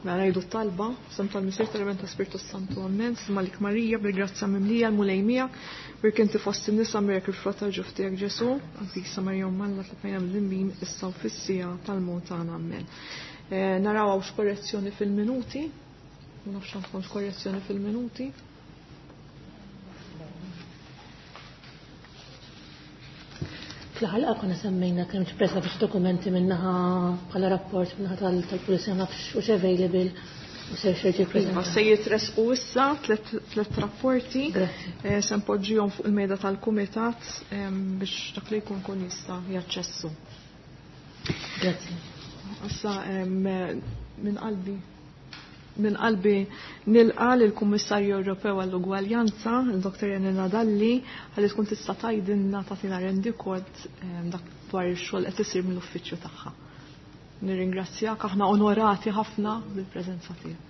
Mela ngħidu t-talba, f'isem tal-Missier tal-Iben ta' Spirtu Santu, Ammen. Slima lik Marija, bil-grazzja mimlija, l-Mulej miegħek, Birk inti fost in-nisa mirek il-frott tal-ġuf tiegħek Ġesu, Qaddisa Marija Omm Alla tlab għalina midinbin issa u fis-siegħa tal-mewt tagħna. Ammen. Eh, naraw hawnx korrezzjoni fil-minuti. Ma nafx għandkomx korrezzjoni fil-minuti. Fl-ħalqa konna semmejna kemm ġpresa biex dokumenti minnaħa bħala rapport minnaħa tal-pulizija nafx u available u ser xerġi Iva, se jitresqu issa tlet rapporti. Eh, se npoġġihom fuq il-mejda tal-kumitat biex dak li jkun kun jista' jaċċessu. Grazzi. Issa minn qalbi minn qalbi nilqa lill-Kummissarju Ewropew għall-Ugwaljanza, il-Dr. Janina Dalli, ħalli tkun tista' tgħidilna tagħtina rendikont dak dwar ix-xogħol qed isir mill-uffiċċju tagħha. Nirringrazzjak, aħna onorati ħafna bil-preżenza tiegħek.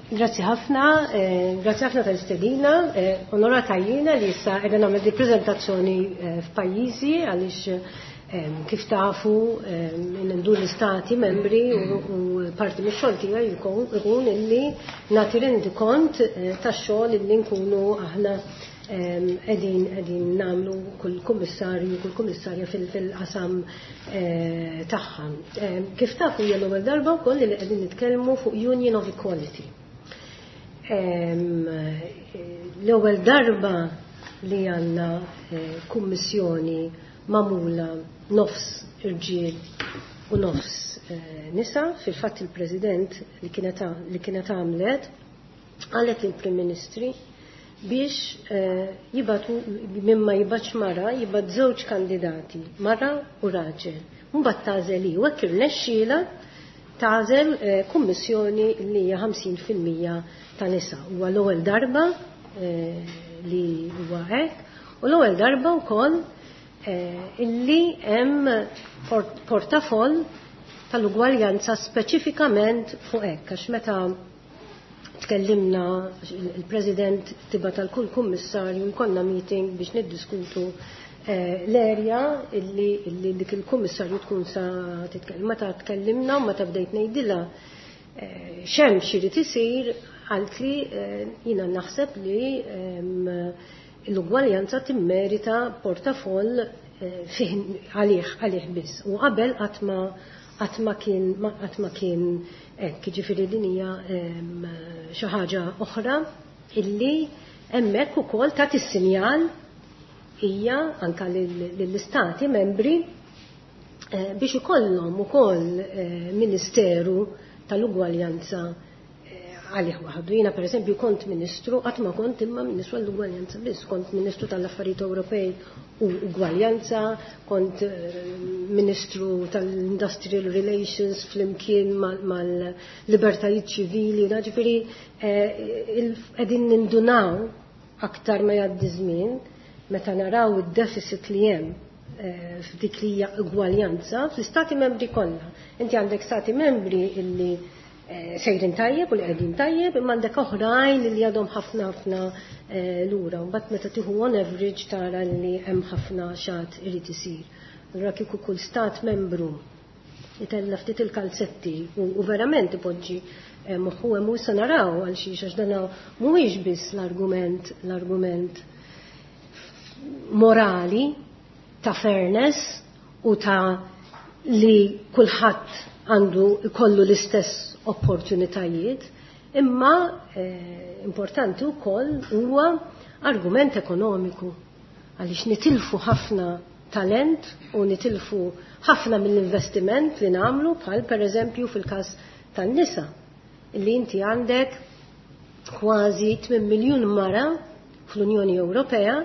Grazzi ħafna, eh, grazzi ħafna tal-istedina, eh, onorata jiena li issa qiegħda nagħmel di preżentazzjoni eh, f'pajjiżi għaliex kif tafu ndur l-istati membri u parti mix-xogħol tiegħi jkun illi nagħti rendikont tax-xogħol illi nkunu aħna qegħdin qegħdin nagħmlu kull kummissarju kull kummissarja fil-qasam tagħha. Kif tafu hija l-ewwel darba wkoll li qegħdin nitkellmu fuq Union of Equality. L-ewwel darba li għandna kummissjoni magħmula nofs irġiel u nofs nisa, fil-fatt il-President li kienet għamlet qalet lill-Prim Ministri biex jibatu mimma jibatx mara jibat żewġ kandidati, mara u raġel. Mbagħad tagħżel hi u hekk irnexxielha tagħżel kummissjoni li hija 50% ta' nisa. Huwa l-ewwel darba li huwa hekk u l-ewwel darba wkoll illi hemm portafoll tal-ugwaljanza speċifikament fuq hekk, għax meta tkellimna il-President tibgħat tal kull kummissarju jkollna meeting biex niddiskutu l-erja illi dik il-kummissarju tkun sa titkellem. Meta tkellimna u meta bdejt ngħidilha x'hemm x'irid isir, qaltli jiena naħseb li l-ugwaljanza timmerita portafoll fih għalih biss. U qabel qatt ma kien hekk, jiġifieri din hija xi ħaġa oħra illi hemmhekk ukoll tagħti sinjal hija anke lill-istati membri biex ikollhom ukoll Ministeru tal-Ugwaljanza għalih waħdu. Jiena pereżempju kont ministru, qatt ma kont imma ministru għall-ugwaljanza biss, kont ministru tal-Affarijiet Ewropej u Ugwaljanza, kont ministru tal-Industrial Relations flimkien mal-libertajiet ċivili, ġifieri qegħdin nindunaw aktar ma jgħaddi żmien meta naraw id-deficit li hemm f'dik li hija ugwaljanza fl-istati membri kollha. Inti għandek stati membri illi sejrin tajjeb u li qegħdin tajjeb, imma għandek oħrajn li għadhom ħafna ħafna lura. Mbagħad meta tieħu on average tara li hemm ħafna xat irid isir. Allura kieku kull stat membru jitella ftit il-kalzetti u verament ipoġġi moħħu hemm u issa naraw għal xiex għax dan mhuwiex biss l-argument morali ta' fairness u ta' li kulħadd għandu jkollu l-istess opportunitajiet, imma importanti wkoll huwa argument ekonomiku għaliex nitilfu ħafna talent u nitilfu ħafna mill-investiment li nagħmlu bħal pereżempju fil-każ tan-nisa li inti għandek kważi 8 miljun mara fl-Unjoni Ewropea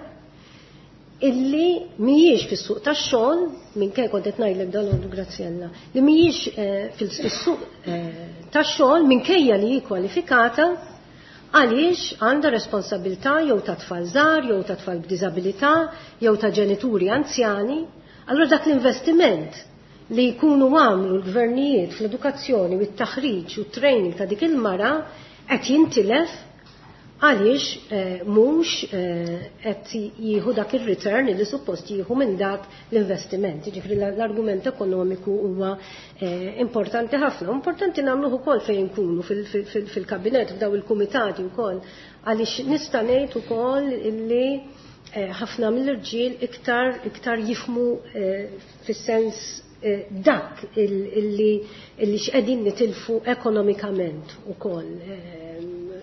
illi mhijiex fis-suq tax-xogħol, minkejja kont qed ngħidlek dalgħodu Graziella, li mhijiex fis-suq tax-xogħol minkejja li hi kwalifikata għaliex għandha responsabilità jew ta' tfal żgħar, jew ta' tfal b'diżabilità, jew ta' ġenituri anzjani. Allura dak l-investiment li jkunu għamlu l-gvernijiet fl-edukazzjoni u t-taħriġ u t-training ta' dik il-mara qed jintilef Għaliex mhux qed jieħu dak ir-return li suppost jieħu minn dak l-investiment. Jiġifieri l-argument ekonomiku huwa importanti ħafna. Importanti nagħmluh ukoll fejn nkunu fil-kabinett, f'daw il-kumitati wkoll, għaliex nista' ngħid ukoll illi ħafna mill-irġiel iktar jifhmu fis-sens dak illi x'qegħdin nitilfu ekonomikament ukoll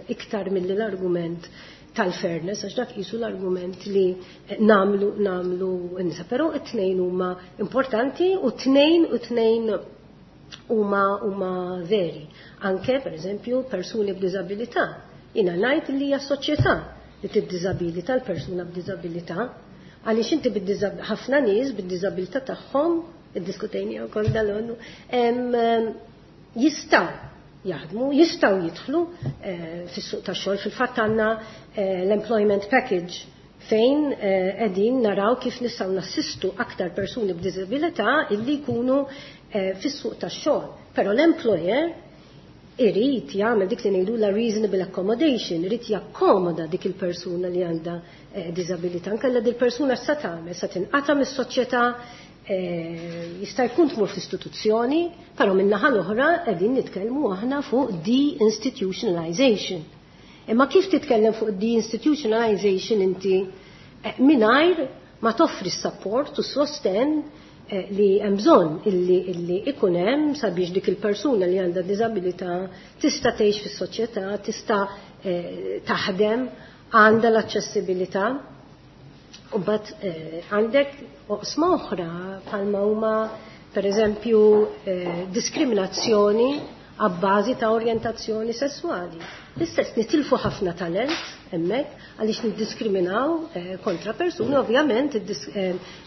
iktar milli l-argument tal-fairness, għax dak qisu l-argument li nagħmlu nisa. Però it-tnejn huma importanti u tnejn huma veri. Anke, per eżempju, persuni b'diżabilità. Jiena ngħid li hija soċjetà li tiddiżabilità l-persuna b'diżabilità, għaliex inti ħafna nies bid-diżabilità tagħhom, iddiskutejni wkoll dal-għonnu, jistgħu jaħdmu, jistgħu jidħlu fis-suq tax-xogħol. Fil-fatt għandna l-employment package fejn qegħdin naraw kif nistgħu nassistu aktar persuni b'diżabilità illi jkunu fis-suq tax-xogħol. Però l-employer irid jagħmel dik li ngħidu la reasonable accommodation, irid jakkomoda dik il-persuna li għandha diżabilità. Inkella dik il-persuna x'sa tagħmel, sa tinqata' mis-soċjetà, jista' jkun tmur fl-istituzzjoni, però min-naħa l-oħra qegħdin nitkellmu aħna fuq de-institutionalization. Imma kif titkellem fuq de-institutionalization inti mingħajr ma toffri s-support u s-sosten li hemm bżonn illi ikun hemm sabiex dik il-persuna li għandha diżabilità tista' tgħix fis-soċjetà, tista' taħdem, għandha l-aċċessibilità. U mbagħad għandek oqsma oħra bħalma huma pereżempju diskriminazzjoni għabbażi ta' orjentazzjoni sessuali. L-istess nitilfu ħafna talent hemmhekk għaliex niddiskriminaw kontra persuni, ovvjament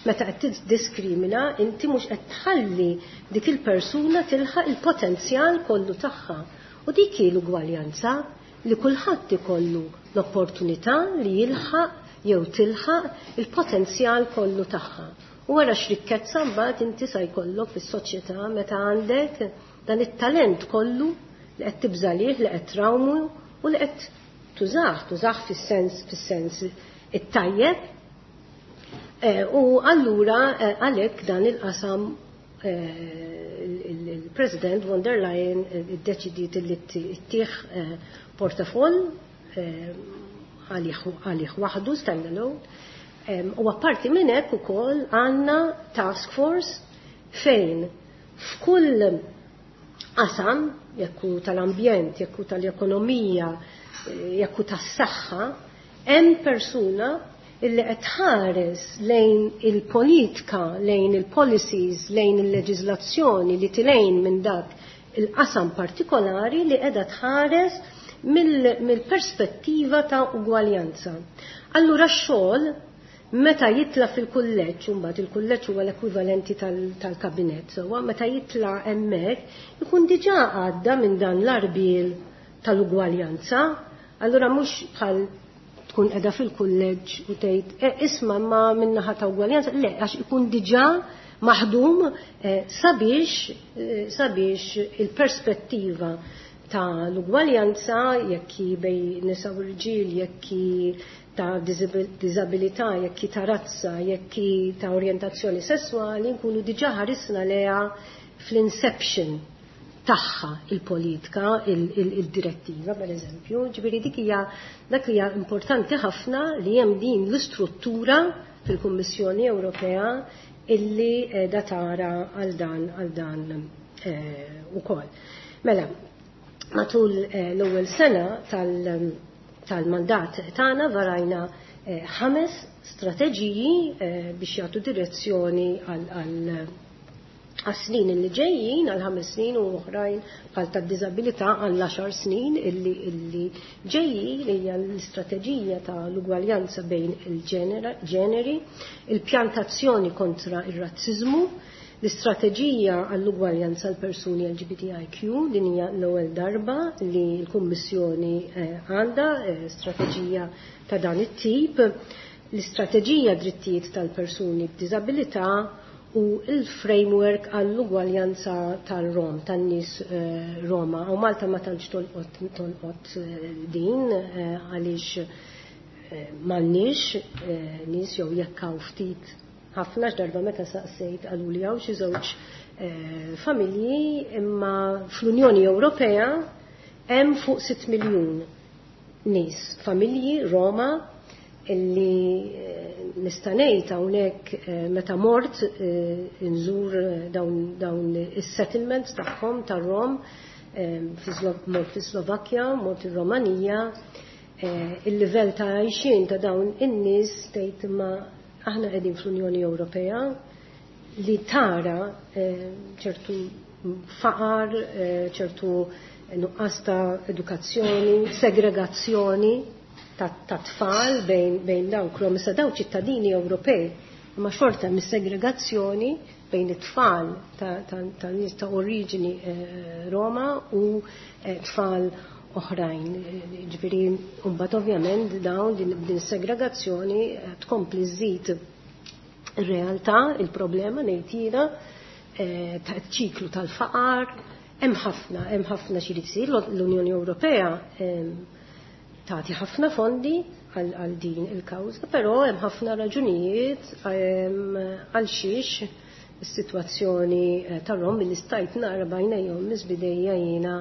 meta qed tiddiskrimina inti mhux qed tħalli dik il-persuna tilħaq il-potenzjal kollu tagħha. U dik hi l-ugwaljanza li kulħadd ikollu l-opportunità li jilħaq jew tilħaq il-potenzjal kollu tagħha. U wara x'rikkezza mbagħad inti sa jkollok fis-soċjetà meta għandek dan it-talent kollu li qed tibżalih, li qed trawmu u li qed tużah fis-sens it-tajjeb. U allura għalhekk dan il-qasam il-President von der Leyen iddeċidiet li ttieħ portafoll għalih waħdu standalone. U apparti minn hekk ukoll għandna task force fejn f'kull qasam, jekk hu tal-ambjent, jekk hu tal-ekonomija, jekk hu tas-saħħa, hemm persuna illi qed tħares lejn il-politika, lejn il-policies, lejn il-leġiżlazzjoni li tilejn minn dak il-qasam partikolari li qiegħda tħares mill-perspettiva ta' ugwaljanza. Allura x-xogħol meta jitla fil-kulleġġ, u mbagħad il-kulleġġ huwa l-ekwivalenti tal-kabinett, sewwa meta jitla hemmhekk ikun diġà għadda minn dan l-arbil tal-ugwaljanza, allura mhux bħal tkun qiegħda fil-kulleġġ u tgħid isma' ma min-naħa ta' ugwaljanza, le, għax ikun diġà maħdum sabiex il-perspettiva ta' l-ugwaljanza, jekk hi bej nisa u rġiel, jekk hi ta' diżabilità, jekk hi ta' razza, jekk hi ta' orjentazzjoni sessuali, nkunu diġà ħarisna leha fl-inception tagħha il-politika, il-direttiva, per eżempju. Ġifieri dik hija dak li hija importanti ħafna li hemm din l-istruttura fil-Kummissjoni Ewropea illi qiegħda tara għal dan ukoll. Mela, matul l-ewwel sena tal-mandat tagħna varajna 5 strateġiji biex jagħtu direzzjoni għas-snin illi ġejjin, għal 5 snin u oħrajn bħal tad-diżabilità għal 10 snin illi ġejjin, li hija l-istrateġija tal-ugwaljanza bejn il-ġeneri, il-pjantazzjoni kontra ir-razziżmu, l-istrateġija għall-ugwaljanza għal persuni LGBTIQ, din hija l-ewwel darba li l-Kummissjoni għandha strateġija ta' dan it-tip, l-istrateġija drittijiet tal-persuni b'diżabilità u il-framework għall-ugwaljanza tal-Rom, tan-nies Roma. U Malta ma tantx tolqot din għaliex m'għandniex nies jew jekk hawn ftit ħafna x'darba meta saqsejt qaluli hawn xi żewġ familji, imma fl-Unjoni Ewropea hemm fuq 6 miljun nies, familji Roma illi nista' ngħid hawnhekk meta mort inżur dawn is-settlements tagħhom tar-Rom, mort fis-Slovakkja, mort ir-Romanija, il-livell ta' għajxien ta' dawn in-nies tgħid ma aħna qegħdin fl-Unjoni Ewropea li tara ċertu faqar, ċertu nuqqas ta' edukazzjoni, segregazzjoni ta' tfal bejn dawk Rom, issa dawn ċittadini Ewropej, imma xorta mis-segregazzjoni bejn it-tfal ta' nies ta' oriġini Roma u tfal oħrajn. Ġifieri, mbagħad ovvjament dawn din segregazzjoni tkompli żżid ir-realtà, il-problema ngħid jiena ta' ċiklu tal-faqar, hemm ħafna xi jsir. L-Unjoni Ewropea tagħti ħafna fondi għal din il-kawża, però hemm ħafna raġunijiet għal xiex is-sitwazzjoni tar-Rom li stajt nara b'għajnejhom miss bidejja jiena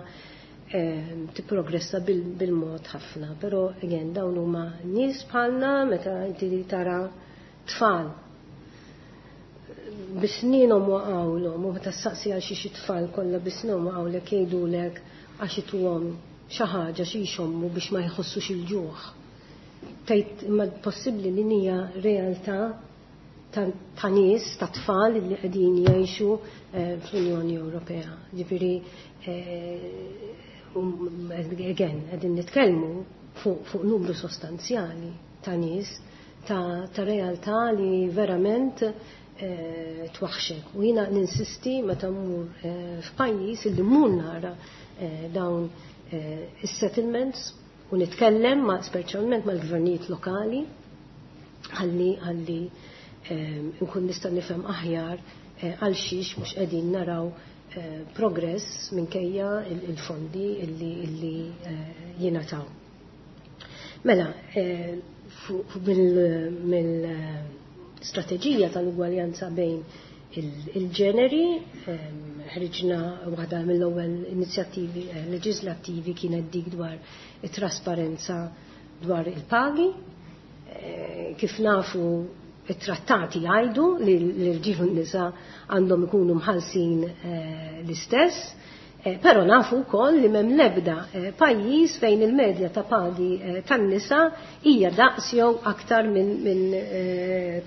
tipprogressa bil-mod ħafna. Però again dawn huma nies bħalna meta inti tara tfal bisninhom waqgħulhom u meta ssaqsi għal xi tfal kollha bisninhom waqgħulek jgħidulek għax ituhom xi ħaġa xi jxommu biex ma jħossux il-ġuħ. Tgħid imma possibbli li hija realtà ta' nies, ta' tfal li qegħdin jgħixu fl-Unjoni Ewropea. Ġifieri again qegħdin nitkellmu fuq numru sostanzjali ta' nies ta' realtà li verament twaħxek. U jiena ninsisti meta mmur f'pajjiż illi mmur nara dawn is-settlements u nitkellem speċjalment mal-gvernijiet lokali ħalli nkun nista' nifhem aħjar għal xiex mhux qegħdin naraw progress minkejja il-fondi illi jingħataw. Mela, mill-strateġija tal-ugwaljanza bejn il-ġeneri, ħriġna waħda mill-ewwel inizjattivi leġislattivi kienet dik dwar it-trasparenza dwar il-pagi. Kif nafu it-trattati jgħidu li l-irġiel u n-nisa għandhom ikunu mħallsin l-istess, però nafu wkoll li m'hemm l-ebda pajjiż fejn il-medja ta' pagi tan-nisa hija daqs jew aktar minn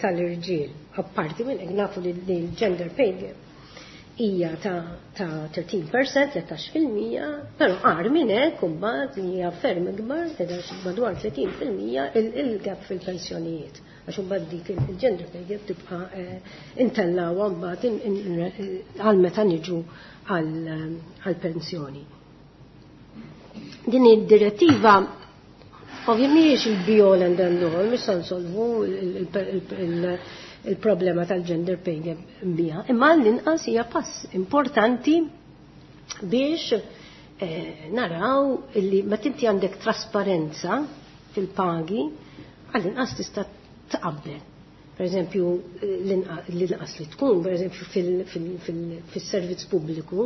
tal-irġiel. Apparti minn hekk nafu li l-gender pay gap hija ta' 13%, 13%, però agħar minn hekk imbagħad li hija ferm ikbar, qiegħda madwar 30% il-gap fil-pensjonijiet. Għax imbagħad dik il-gender pay gap tibqa' intellawha mbagħad għal meta niġu għal-pensjoni. Din id-direttiva ovvjament mhijiex il-be all and end all, mhux se nsolvu il-problema tal-gender pay gap biha, imma l-inqas hija pass importanti biex naraw illi meta inti għandek trasparenza fil-pagi, għall-inqas tista' tqabbel. Per eżempju, l-inqas li tkun, per eżempju, fil-servizz pubbliku,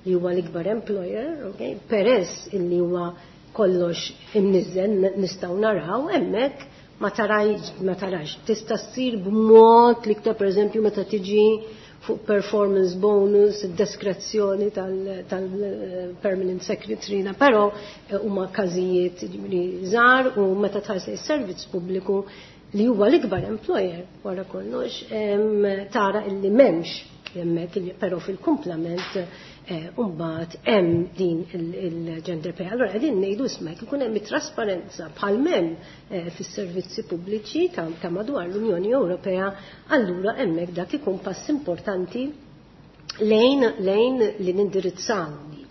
li huwa l-ikbar employer, okay? Peress illi huwa kollox imniżżel nistgħu naraw hemmhekk ma tarax. Tista' ssir b'mod l-iktar, per eżempju, meta tiġi fuq performance bonus, diskrezzjoni tal-permanent secretary, però huma każijiet żgħar u meta tħares is-servizz pubbliku li huwa l-ikbar employer wara kollox, tara illi m'hemmx hemmhekk, però fil-kumplament mbagħad hemm din il-gender pay. Allora qegħdin ngħidu isma' jekk ikun hemm trasparenza bħal m'hemm fis-servizzi pubbliċi ta' madwar l-Unjoni Ewropea, allura hemmhekk dak ikun pass importanti lejn li nindirizzaw din.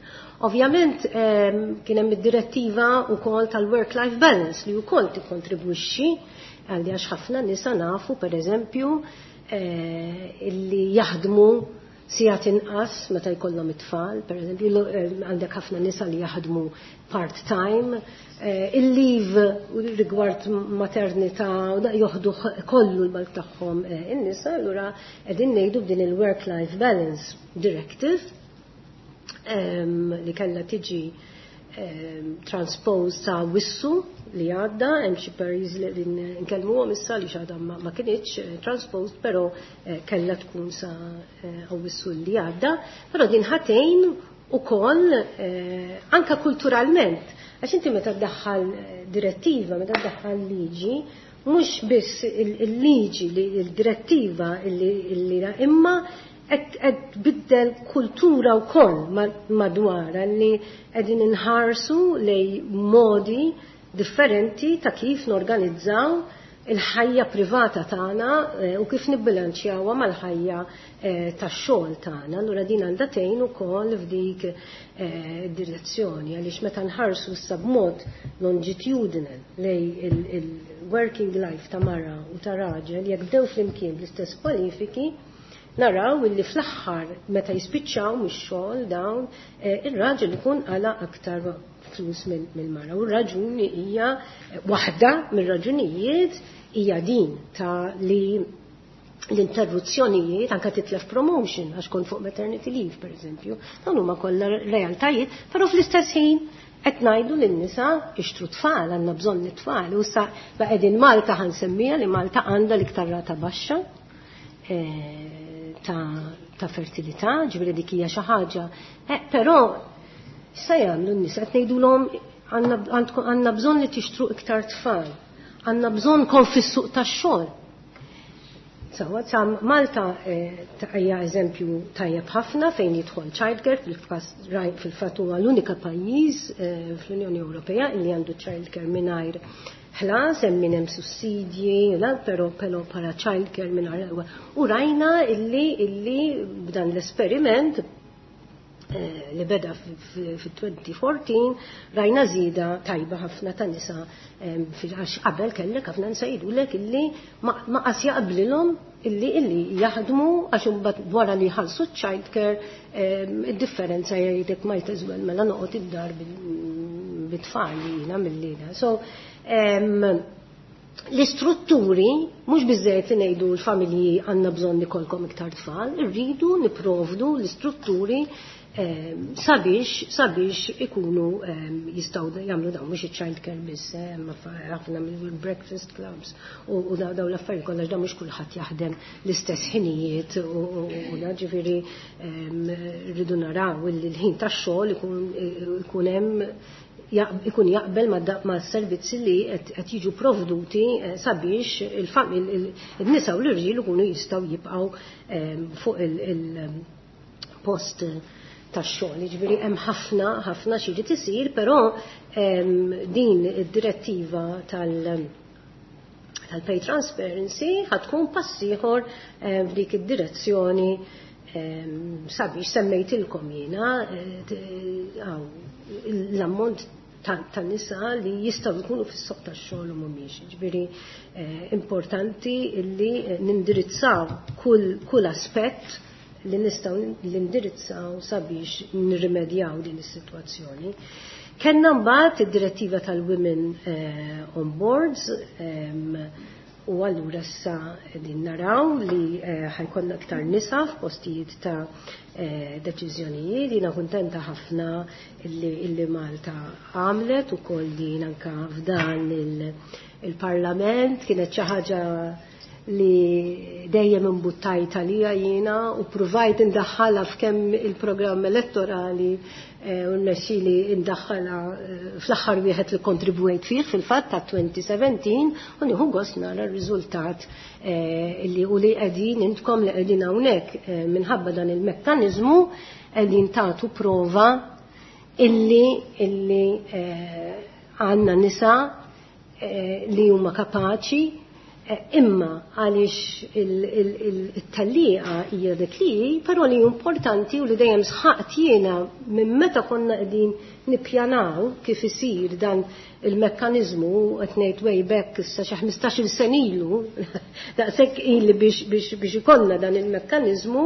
Ovvjament kien hemm id-direttiva wkoll tal-work-life balance li wkoll tikkontribwixxi. Għalli għax ħafna nisa nafu, per eżempju, illi jaħdmu sigħat inqas meta jkollhom it-tfal, per eżempju, għandek ħafna nisa li jaħdmu part-time, il-leave rigward maternità joħdu kollu l-balk tagħhom in-nisa, allura qegħdin ngħidu b'din il-Work-Life Balance Directive li kellha tiġi transposed sa wissu li għadda, hemm xi pajjiżi li qegħdin nkellmuhom issa li x'għadha ma kinitx transposed, però kellha tkun sa Awwissu li għadda, però din ħatejn ukoll anka kulturalment, għax inti meta ddaħħal direttiva, meta ddaħħal liġi, mhux biss il-liġi li il-direttiva li imma qed tbiddel kultura wkoll madwar li qegħdin inħarsu lej modi differenti ta' kif norganizzaw il-ħajja privata tagħna u kif nibbilanċjawha mal-ħajja tax-xogħol tagħna. Allura din għandha tgħin ukoll f'dik direzzjoni, għaliex meta nħarsu issa b'mod longitudinal lej il-working life ta' mara u ta' raġel, jekk bdew flimkien bl-istess kwalifiki, naraw illi fl-aħħar meta jispiċċaw mix-xogħol dawn, ir-raġel ikun qala aktar flus mill-mara. U r-raġuni hija waħda mir-raġunijiet hija din ta' li l-interruzzjonijiet, anka titlef promotion għax kont fuq maternity leave, per eżempju, dawn huma kollha realtajiet, però fl-istess ħin qed ngħidu lin-nisa ixtru tfal, għandna bżonn it-tfal. U issa qegħdin Malta, ħansemmija li Malta għandha l-iktar rata baxxa ta' fertilità, ġifieri dik hija xi ħaġa. Però issa jagħmlu n-nisa, qed ngħidulhom għandna bżonn li tixtru iktar tfal, għandna bżonn kon fis-suq tax-xogħol. Sawa, sa Malta hija eżempju tajjeb ħafna fejn jidħol childcare, fil-fatt huwa l-unika pajjiż fl-Unjoni Ewropea li għandu childcare mingħajr ħlas, hemm min hemm sussidji, la, però bħala childcare mingħajr. U rajna illi b'dan l-esperiment li beda fit-2014 rajna żieda tajba ħafna ta' nisa, għax qabel kellek ħafna nisa jgħidulek illi ma qas jaqblilhom illi jaħdmu, għax imbagħad wara li jħallsu childcare id-differenza jgħidek might as well mela noqgħod id-dar bit-tfal jiena mill-lejla. So l-istrutturi, mhux biżżejjed li ngħidu l-familji għandna bżonn ikollkom iktar tfal, irridu nipprovdu l-istrutturi sabiex ikunu jistgħu jagħmlu dawn, mhux iċ-child care biss, ma ħafna mill-breakfast clubs u daw l-affarijiet kollha, da mhux kulħadd jaħdem l-istess ħinijiet u da ġifieri rridu naraw li l-ħin tax-xogħol ikun hemm ikun jaqbel ma' servizzi li qed jiġu provduti sabiex il-nisa u l-irġiel ikunu jistgħu jibqgħu fuq il-post tax-xogħol. Jiġifieri hemm ħafna ħafna xi jrid isir, però din id-direttiva tal-pay transparency ħatkun pass ieħor f'dik id-direzzjoni, sabiex semmejtilkom jiena l-ammont ta' nisa li jistgħu jkunu fis-suq tax-xogħol u mhumiex. Ġifieri importanti li nindirizzaw kull aspett li nistgħu nindirizzaw sabiex nirrimedjaw din is-sitwazzjoni. Kenna mbagħad id-direttiva tal-Women on Boards, u allura issa qegħdin naraw li ħajkollna aktar nisa f'postijiet ta' deċiżjonijiet. Jiena kuntenta ħafna illi Malta għamlet ukoll din anka f'dan il-Parlament, kienet xi ħaġa li dejjem imbuttajt għalija jiena u provajt indaħħalha f'kemm il-programm elettorali, u rnexxieli indaħħalha fl-aħħar wieħed li kontribwejt fih fil-fatt ta' 2017, u nieħu gost nara r-riżultat li u li qegħdin intkom li qegħdin hawnhekk minħabba dan il-mekkaniżmu qegħdin tagħtu prova illi għandna nisa li huma kapaċi. Imma għaliex il-tellieqa hija dik li, però li importanti u li dejjem sħaqt jiena minn meta konna qegħdin nippjanaw kif isir dan il-mekkaniżmu, qed ngħid way back issa xi 15-il sena ilu, daqshekk ili biex ikollna dan il-mekkaniżmu,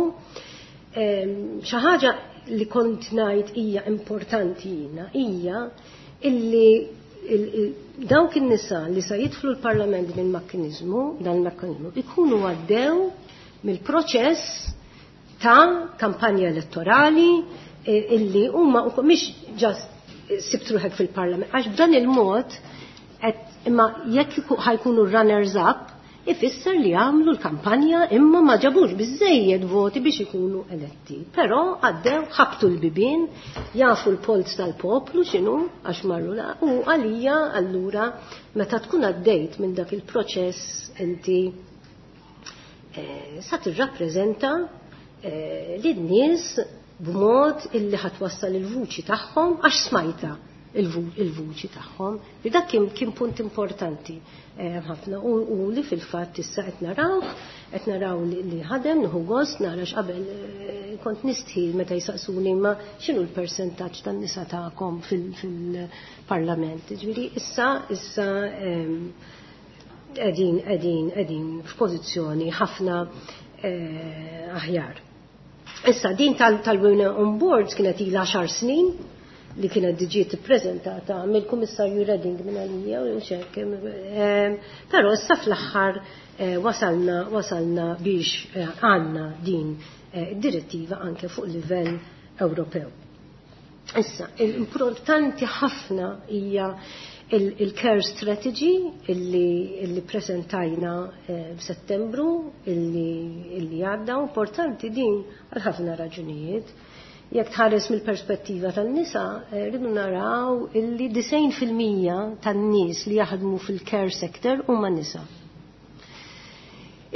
xi ħaġa li kont ngħid hija importanti jiena hija illi dawk in-nisa li sa jidħlu l-Parlament minn mekkaniżmu, dan il-mekkaniżmu, ikunu għaddew mill-proċess ta' kampanja elettorali illi huma mhix just sibt ruħek fil-Parlament, għax b'dan il-mod imma jekk ħa jkunu runners up, ifisser li għamlu l-kampanja imma ma ġabux biżejjed voti biex ikunu eletti. Però għaddew, ħabtu l-bibien, jafu l-polz tal-poplu x'inhu għax marru la, u għalija allura meta tkun għaddejt minn dak il-proċess inti sa tirrappreżenta lin-nies b'mod illi ħa twassal il-vuċi tagħhom għax smajta il-vuċi tagħhom. Li dak kien punt importanti ħafna u li fil-fatt issa qed naraw qed naraw li ħadem. Nieħu gost nara x'qabel kont nistħi meta jisaqsuni ma x'inhu l-persentaġġ tan-nisa tagħkom fil-parlament. Ġifieri issa qegħdin f'pożizzjoni ħafna aħjar. Issa din tal-Women on Boards kienet ilha 10 snin li kienet ġiet ippreżentata mill-Kummissarju Reding minn għalija u xek. Però issa fl-aħħar wasalna biex għandna din id-direttiva anke fuq livell Ewropew. Issa, l-importanti ħafna hija il-care strategy illi presentajna f'Settembru illi għadda. Importanti din għal ħafna raġunijiet. Jekk tħares mill-perspettiva tan-nisa, rridu naraw illi 90% tan-nies li jaħdmu fil-care sector huma nisa.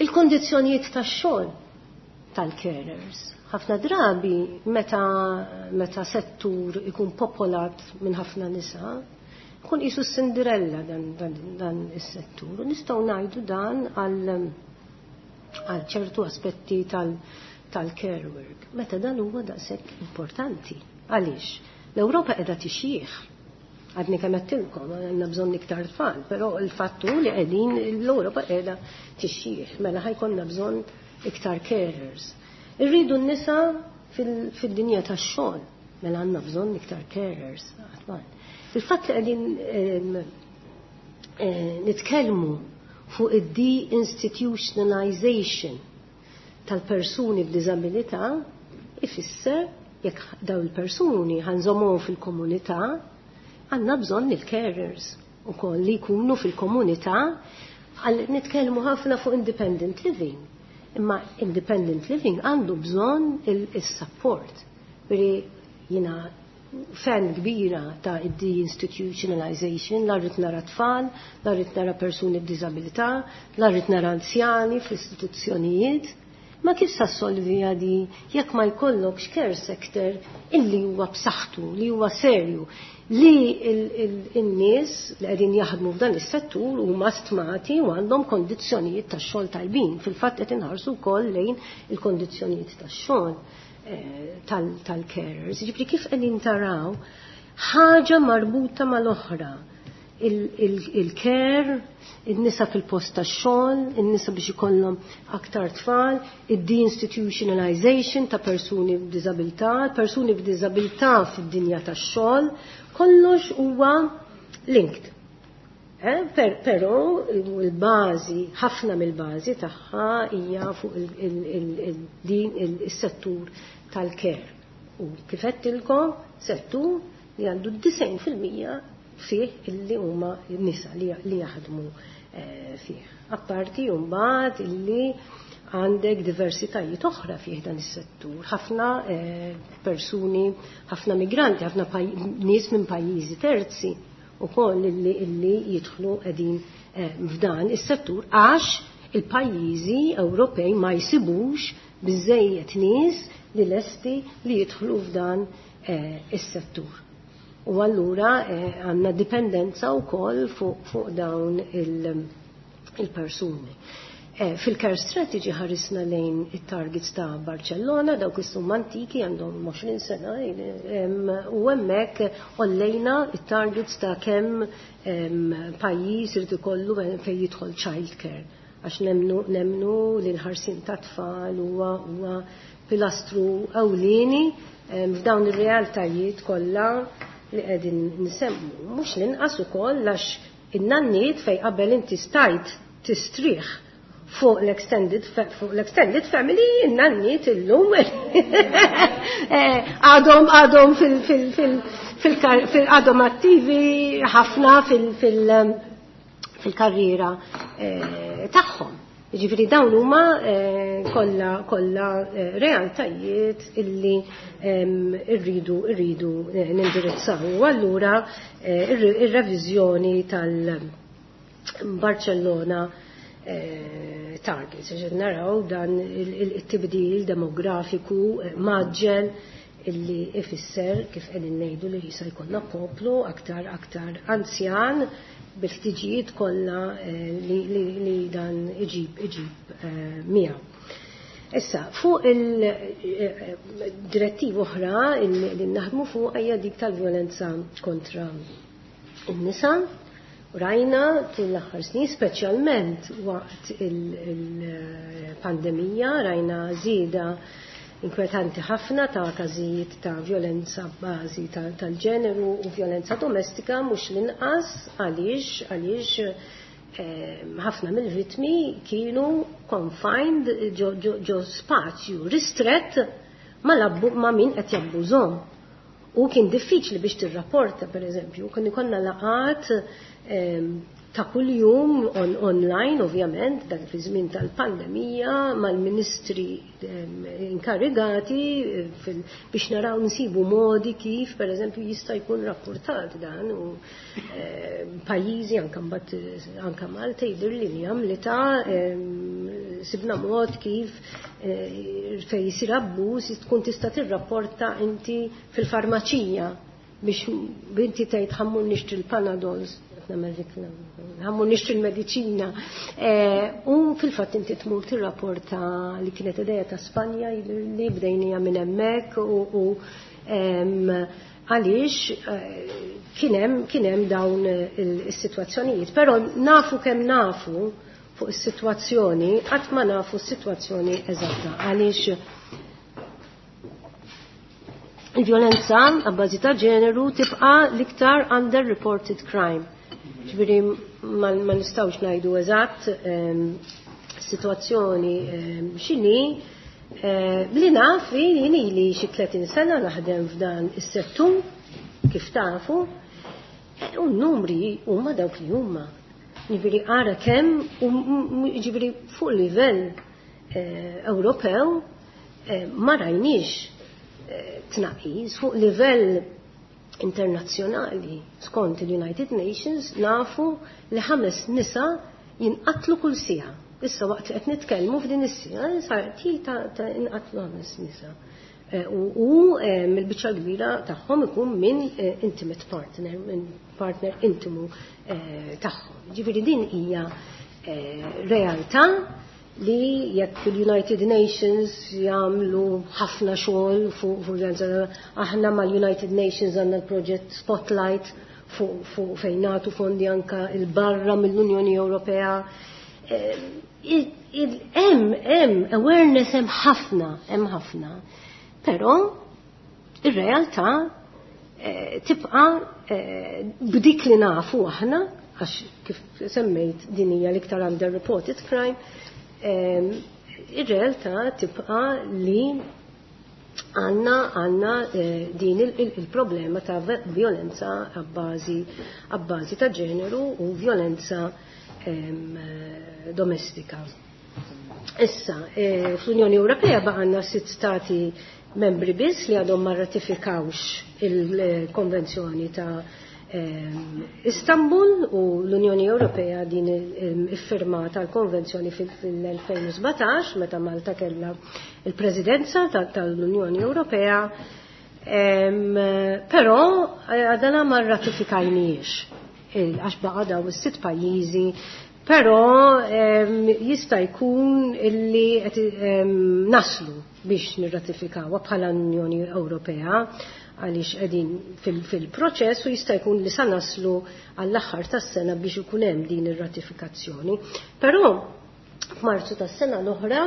Il-kondizzjonijiet tax-xogħol tal-carers. Ħafna drabi meta settur ikun popolat minn ħafna nisa, kun qisu Cinderella dan is-settur. U nistgħu ngħidu dan għal ċertu aspetti tal-care work. Meta dan huwa daqshekk importanti. Għaliex? L-Ewropa qiegħda tixjih. Għadni kemm għedtilkom, għandna bżonn iktar tfal, però il-fattu li qegħdin l-Ewropa qiegħda tixjih, mela ħa jkollna bżonn iktar carers. Irridu n-nisa fid-dinja tax-xogħol, mela għandna bżonn iktar carers. Il-fatt li qegħdin nitkellmu fuq id-deinstitutionalization tal-persuni b'diżabilità ifisser jekk daw il-persuni ħa nżommuhom fil-komunità, għandna bżonn il-carers ukoll li jkunu fil-komunità. Għal nitkellmu ħafna fuq independent living. Imma independent living għandu bżonn il-support. Veri jiena fan kbira ta' deinstitutionalization, la rrid nara tfal, la rrid nara persuni b'diżabilità, la rrid nara anzjani fl-istituzzjonijiet. Ma kif sa solvi għadi jekk ma jkollokx care sector illi huwa b'saħħtu, li huwa serju, li il-nies li qegħdin jaħdmu f'dan is-settur huma stmati u għandhom kondizzjonijiet tax-xogħol tajbin. Fil-fatt qed inħarsu wkoll lejn il-kondizzjonijiet tax-xogħol tal-carers. Ġifieri kif qegħdin taraw ħaġa marbuta mal-oħra. Il-care, il-nisa fil-post tax-xogħol, il-nisa biex ikollhom aktar tfal, il-deinstitutionalization ta' persuni b'diżabilità, persuni b'diżabilità fid-dinja tax-xogħol, kollox huwa linked. Però il-bażi, ħafna mill-bażi tagħha hija fuq din is-settur tal-care. U kif għedtilkom, settur li għandu 90% fih illi huma nisa li jaħdmu fih. Apparti mbagħad illi għandek diversitajiet oħra fih dan is-settur. Ħafna persuni, ħafna migranti, ħafna nies minn pajjiżi terzi ukoll illi jidħlu qegħdin f'dan is-settur għax il-pajjiżi Ewropej ma jsibux biżejjed nies li lesti li jidħlu f'dan is-settur. U allura għandna dipendenza wkoll fuq dawn il-persuni. Fil-care strategy ħarisna lejn it-targets ta' Barcellona, dawk is-summa antiki għandhom 20 sena, u hemmhekk għollejna it-targets ta' kemm pajjiż irid ikollu fejn jidħol child care. Għax nemnu li l-ħarsien ta' tfal huwa pilastru ewlieni f'dawn ir-realtajiet kollha li qegħdin nsemmu. Mhux l-inqas ukoll għax in-nanniet fejn qabel inti stajt tistrieħ fuq l-extended family, in-nanniet illum għadhom għadhom attivi ħafna fil-karriera tagħhom. Jiġifieri dawn huma kollha realtajiet illi irridu nindirizzaw. U allura ir-reviżjoni tal-Barcellona targets, ġed naraw dan il-tibdil demografiku maġġel illi ifisser kif qegħdin ngħidu li jista' jkollna poplu aktar anzjan bil-ħtiġijiet kollha li dan iġib miegħu. Issa, fuq il-direttiva oħra li naħdmu fuq hija dik tal-vjolenza kontra n-nisa. Rajna tul l-aħħar snin, speċjalment waqt il-pandemija, rajna żieda inkwetanti ħafna ta' każijiet ta' vjolenza b'bażi tal-ġeneru u vjolenza domestika, mhux l-inqas għaliex ħafna mill-vittmi kienu confined ġo spazju ristrett ma' min qed jabbużhom. U kien diffiċli biex tirrapporta, per eżempju, kien ikollna laqat ta' kuljum online, ovvjament, dak fi żmien tal-pandemija, mal-ministri inkarigati biex naraw nsibu modi kif, per eżempju, jista' jkun rapportat dan u pajjiżi anke mbagħad anke Malta jidher li għamlita sibna mod kif fejn jsir abbuż tkun tista' tirrapporta inti fil-farmaċija biex binti tgħid ħammur nixtri l-Panadols, ħammur nixtri l-mediċina. U fil-fatt inti tmur tirrapporta li kienet idea ta' Spanja li bdejnija minn hemmhekk u għaliex kien hemm dawn is-sitwazzjonijiet. Però nafu kemm nafu fuq is-sitwazzjoni, qatt ma nafu s-sitwazzjoni eżatta għaliex il-vjolenza għabbażi ta' ġeneru tibqa' l-iktar underreported crime. Ġifieri ma nistgħux ngħidu eżatt sitwazzjoni x'inhi. Li naf jien ili xi 30 sena naħdem f'dan is-settur kif tafu, u n-numri huma dawk li huma. Ġifieri ara kemm, ġifieri fuq livell Ewropew ma rajniex tnaqqis fuq livell internazzjonali. Skont il-United Nations nafu li 5 nisa jinqatlu kull siegħa. Issa waqt li qed nitkellmu f'din is-siegħa sar til ta' inqatlu 5 nisa. U mill-biċċa kbira tagħhom ikun minn intimate partner, minn partner intimu tagħhom. Ġifieri din hija realtà li jekk il-United Nations jagħmlu ħafna xogħol fuq violenza, aħna mal-United Nations għandna l-proġett Spotlight fuq fejn nagħtu fondi anka il-barra mill-Unjoni Ewropea. Hemm awareness hemm ħafna. Però ir-realtà tibqa' b'dik li nafu aħna, għax kif semmejt din hija l-iktar underreported crime, ir-realtà tibqa' li għandna din il-problema ta' violenza għabbażi ta' ġeneru u violenza domestika. Issa, fl-Unjoni Ewropea baqgħna 6 stati membri biss li għadhom ma ratifikawx il-Konvenzjoni ta' Istanbul, u l-Unjoni Ewropea din iffirmata l-konvenzjoni fil-2017 meta Malta kellha il-Presidenza tal-Unjoni Ewropea, però għadana ma rratifikajniex għax baqa' daw is-6 pajjiżi. Però jista' jkun illi qed naslu biex nirratifikawha bħala Unjoni Ewropea, għaliex qegħdin fil-proċess u jista' jkun li sa naslu għall-aħħar tas-sena biex ikun hemm din ir-ratifikazzjoni. Però f'Marzu tas-sena l-oħra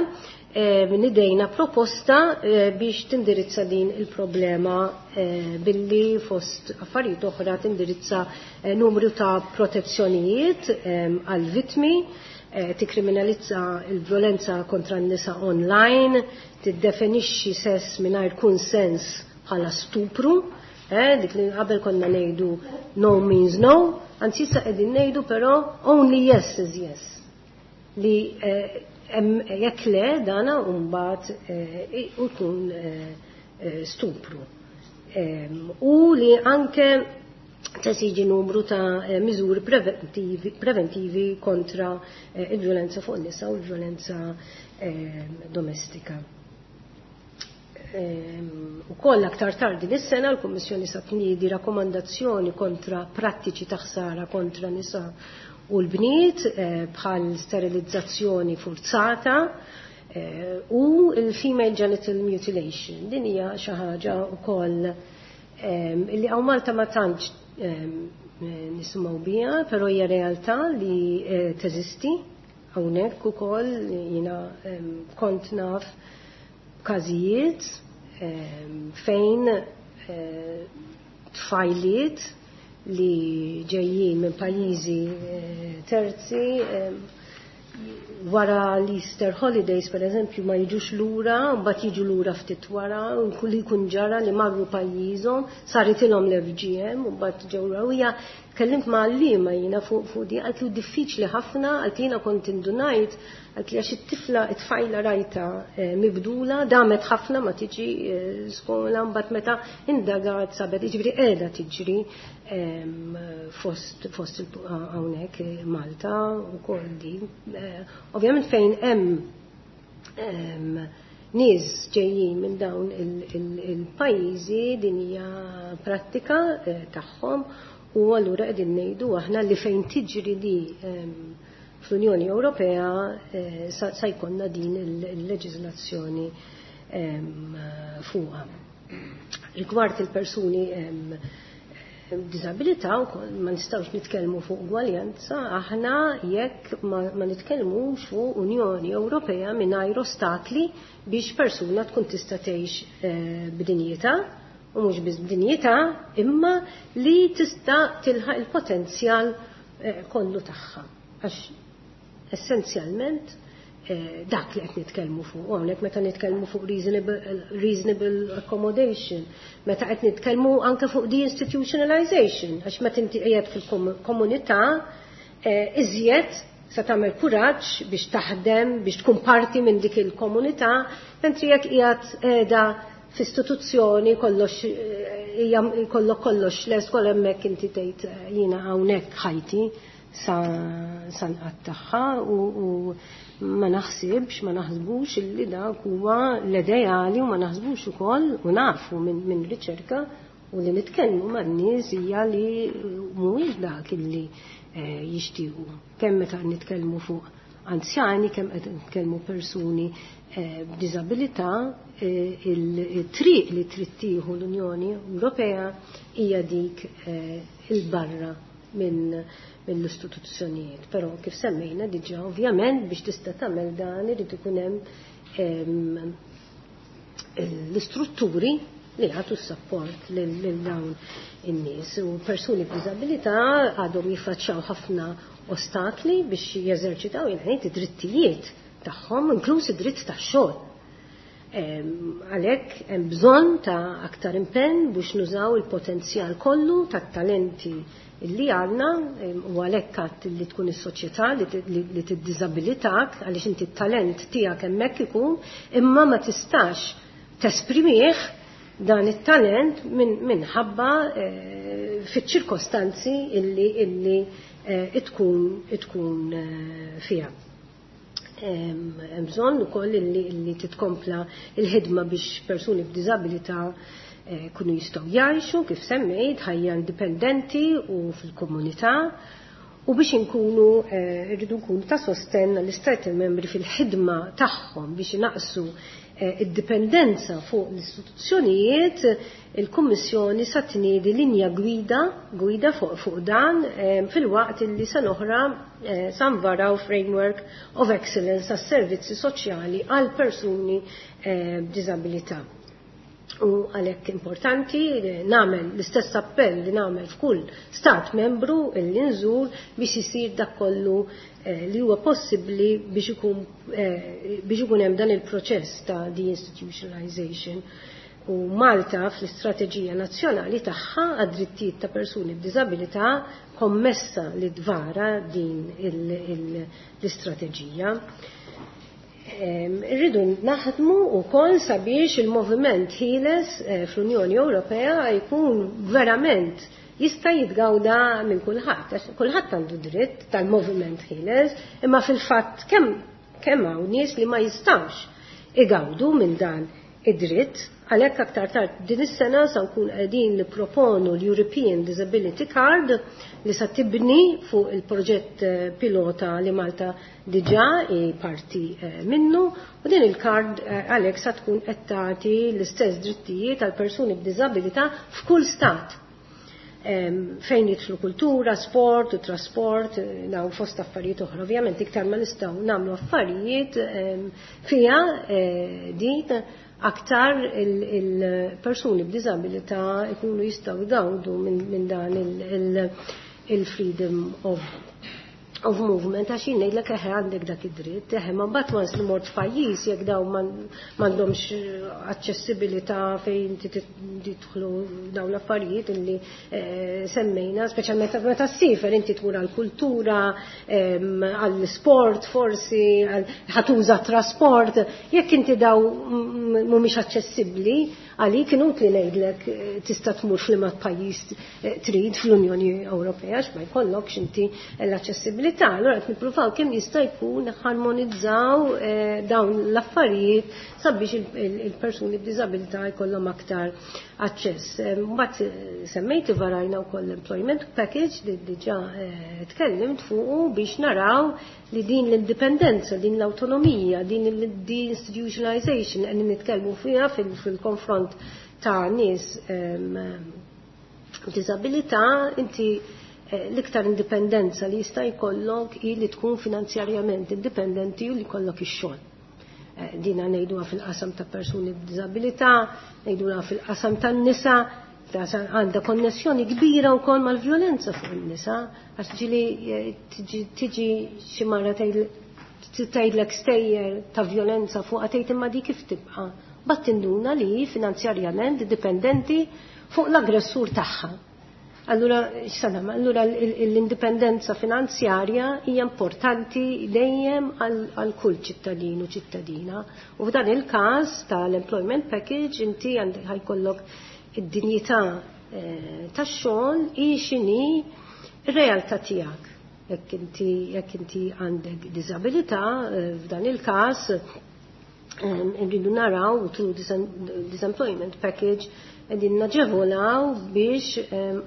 nidejna proposta biex tindirizza din il-problema billi fost affarijiet oħra tindirizza numru ta' protezzjonijiet għal-vittmi, tikkriminalizza il-violenza kontra n-nisa online, tiddefinixxi sess mingħajr kunsens bħala stupru, dik li qabel konna ngħidu no means no, anzi issa qegħdin ngħidu però only yes is yes. Li jekk le dana mbagħad ikun stupru. U li anke tesiġi numru ta' miżuri preventivi kontra il-violenza fuq nisa u l-violenza domestika. U koll aktar tardi dis-sena l-Kummissjoni sa tniedi rakkomandazzjoni kontra prattiċi ta' ħsara kontra nisa u l-bniet bħal sterilizzazzjoni forzata u l-female genital mutilation. Din hija xi ħaġa wkoll illi hawn Malta ma tantx nisimgħu biha, però hija realtà li teżisti hawnhekk ukoll. Jiena kont naf każijiet fejn tfajliet li ġejjin minn pajjiżi terzi wara l-Easter holidays, per eżempju, ma jiġux lura, mbagħad jiġu lura ftit wara, u li jkun ġara li marru pajjiżhom, saritilhom l-FGM, u mbagħad ġew lura. U hija tkellimt ma' għalliema jiena fuq di, għalt li diffiċli ħafna, għalt li jiena kont indunajt, għalt li għax it-tifla, it-tfajla rajta mibdula, damet ħafna ma tiġi skola, mbagħad meta indagat sabet, jiġifieri qiegħda tiġri fost hawnhekk Malta wkoll di. Ovvjament fejn hemm nies ġejjin minn dawn il-pajjiżi din hija prattika tagħhom, u allura qegħdin ngħidu aħna li fejn tiġri di fl-Unjoni Ewropea sa jkollna din il-leġiżlazzjoni fuqha. Rigward il-persuni b'diżabilità wkoll ma nistgħux nitkellmu fuq ugwaljanza aħna jekk ma nitkellmux fuq Unjoni Ewropea mingħajr ostakli biex persuna tkun tista' tgħix b'dinjità, u mhux biss b'dinjità, imma li tista' tilħaq il-potenzjal kollu tagħha. Għax essenzjalment dak li qed nitkellmu fuq hawnhekk meta nitkellmu fuq reasonable accommodation, meta qed nitkellmu anke fuq deinstitutionalization, għax meta inti qiegħed fil-komunità iżjed se tagħmel kuraġġ biex taħdem, biex tkun parti minn dik il-komunità, mentri jekk qiegħed qiegħda f'istituzzjoni kollox hija kollok kollox les kol hemmhekk inti tgħid jiena hawnhekk ħajti sa nqattagħha, u ma naħsibx, ma naħsbux illi dak huwa l-ideali, u ma naħsbux ukoll u nafu minn riċerka u li nitkellmu man-nies hija li mhuwiex dak illi jixtiequ. Kemm meta nitkellmu fuq anzjani, kemm qed nitkellmu persuni b'diżabilità, il-triq li trid tieħu l-Unjoni Ewropea hija dik il-barra mill-istituzzjonijiet. Però kif semmejna diġà, ovvjament biex tista' tagħmel dan irid ikun hemm l-istrutturi li jagħtu s-sapport lil dawn in-nies. U persuni b'diżabilità għadhom jiffaċċjaw ħafna ostakli biex jeżerċitaw jien id-drittijiet tagħhom, inkluż id-dritt tax-xogħol. Għalhekk hemm bżonn ta' aktar impenn biex nużaw il-potenzjal kollu tat-talenti li għandna, u għalhekk għadt li tkun is-soċjetà li tiddiżabilitak, għaliex inti t-talent tiegħek hemmhekk ikun, imma ma tistax tesprimih dan it-talent minħabba fiċ-ċirkostanzi illi tkun fiha. Hemm bżonn ukoll illi titkompla il-ħidma biex persuni b'diżabilità kunu jistgħu jgħixu kif semmejt ħajja indipendenti u fil-komunità. U biex inkunu rridu nkunu ta' sostenn l-Istati membri fil-ħidma tagħhom biex inaqsu id-dipendenza fuq l-istituzzjonijiet, il-Kummissjoni sa tniedi linja gwida fuq dan filwaqt li sa oħra sa nvaraw Framework of Excellence għas-servizzi soċjali għal persuni b'diżabilità. U għalhekk importanti nagħmel l-istess appell li nagħmel f'kull stat membru li nżur biex isir dak kollu li huwa possibbli biex ikun hemm dan il-proċess ta' deinstitutionalization. U Malta fl-istrateġija nazzjonali tagħha għad-drittijiet ta' persuni b'diżabilità kommessa li dvara din l-istrateġija. Irridu naħdmu wkoll sabiex il-moviment ħieles fl-Unjoni Ewropea jkun verament jista' jitgawda minn kulħadd, għax kulħadd għandu dritt tal-moviment ħieles, imma fil-fatt kemm hawn nies li ma jistgħux igawdu minn dan id-dritt. Għalhekk aktar tard din is-sena sa nkun qegħdin nipproponu l-European Disability Card li sa tibni fuq il-proġett pilota li Malta diġà hi parti minnu, u din il-card għalhekk sa tkun qed tagħti l-istess drittijiet għal persuni b'diżabilità f'kull stat. Fejn jidħlu kultura, sport u trasport, dawn fost affarijiet oħra. Ovvjament iktar ma nistgħu nagħmlu affarijiet fiha din aktar il-persuni b'diżabilità ikunu jistgħu jgawdu minn dan il-freedom of movement, għax jien ngħidlek eħe għandek dak id-dritt, eħe ma mbagħad once li mort f'pajjiż jekk dawn m'għandhomx aċċessibilità fejn tidħlu dawn l-affarijiet illi semmejna, speċjalment meta ssifer inti tmur għall-kultura, għall-sport forsi, ħatuża trasport, jekk inti daw mhumiex aċċessibbli għalik inutli ngħidlek tista' tmur f'liema pajjiż trid fl-Unjoni Ewropea għax ma jkollokx inti l-aċċessibilità. Allura qed nippruvaw kemm jista' jkun harmonizzaw dawn l-affarijiet sabiex il-persuni b'diżabilità jkollhom aktar aċċess. Mbagħad semmejt varajna wkoll l-employment package li diġà tkellimt fuqu biex naraw li din l-indipendenza, din l-autonomija, din il-deinstitutionalization qegħdin nitkellmu fiha fil-konfront ta' nies b'diżabilità, inti l-iktar indipendenza li jista' jkollok hi li tkun finanzjarjament indipendenti u li jkollok ix-xogħol. Dina ngħiduha fil-qasam ta' persuni b'diżabilità, ngħiduha fil-qasam tan-nisa, għandha konnessjoni kbira wkoll mal-vjolenza fuq in-nisa, għax ġieli tiġi xi mara tgħidlek stejjer ta' vjolenza fuqha tgħid imma dik kif tibqa'. Bat tinduna li finanzjarjament dipendenti fuq l-aggressur tagħha. Allura, x'sanam, allura l-indipendenza finanzjarja hija importanti dejjem għal kull ċittadin u ċittadina. U f'dan il-każ tal-employment package inti ħajkollok id-dinjità tax-xogħol hi x'inhi r-realtà tiegħek. Jekk inti għandek diżabilità, f'dan il-każ irridu naraw through disemployment package qegħdin naġevolaw biex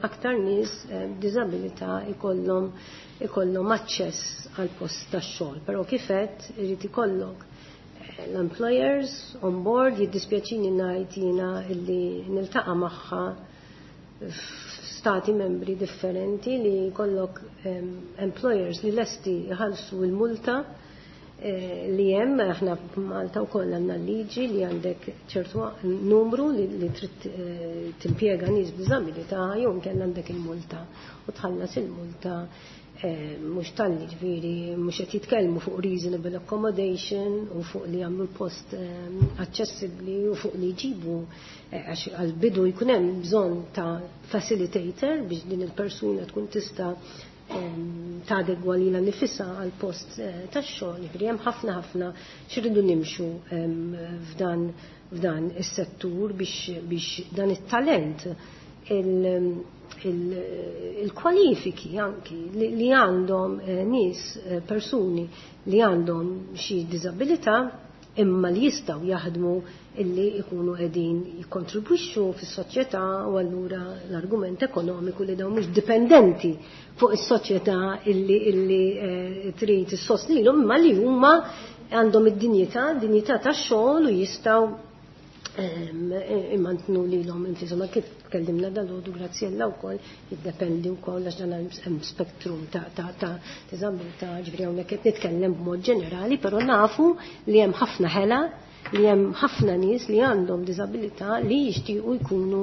aktar nies b'diżabilità ikollhom aċċess għal post tax-xogħol. Però kif għedt irid ikollok l-employers on board, jiddispjaċini ngħid jiena illi niltaqa' magħha f'stati membri differenti li jkollok employers li lesti jħallsu l-multa li hemm, aħna f'Malta wkoll għandna liġi li għandek ċertu numru li trid timpjega nies b'diżabilità jew inkella għandek il-multa u tħallas il-multa mhux talli ġifieri mhux qed jitkellmu fuq reasonable accommodation u fuq li jagħmlu l-post aċċessibbli u fuq li jġibu għax għall-bidu jkun hemm bżonn ta' facilitator biex din il-persuna tkun tista' tadegwa lilha nifisha għal post tax-xogħol. Ġifieri hemm ħafna ħafna x'iridu nimxu f'dan is-settur biex dan it-talent il-kwalifiki anki li għandhom nies persuni li għandhom xi diżabilità imma li jistgħu jaħdmu illi jkunu qegħdin jikkontribwixxu fis-soċjetà u allura l-argument ekonomiku li dawn mhux dipendenti fuq is-soċjetà illi trid issostnilhom imma li huma għandhom id-dinjità, dinjità tax-xogħol u jistgħu imantnu lilhom infisom. Kif tkellimna dal-għodu Graziella wkoll jiddependi wkoll għax dan hemm spektrum ta' diżabilità, ġifieri hawnhekk qed nitkellem b'mod ġenerali, però nafu li hemm ħafna ħela, li hemm ħafna nies li għandhom diżabilità li jixtiequ jkunu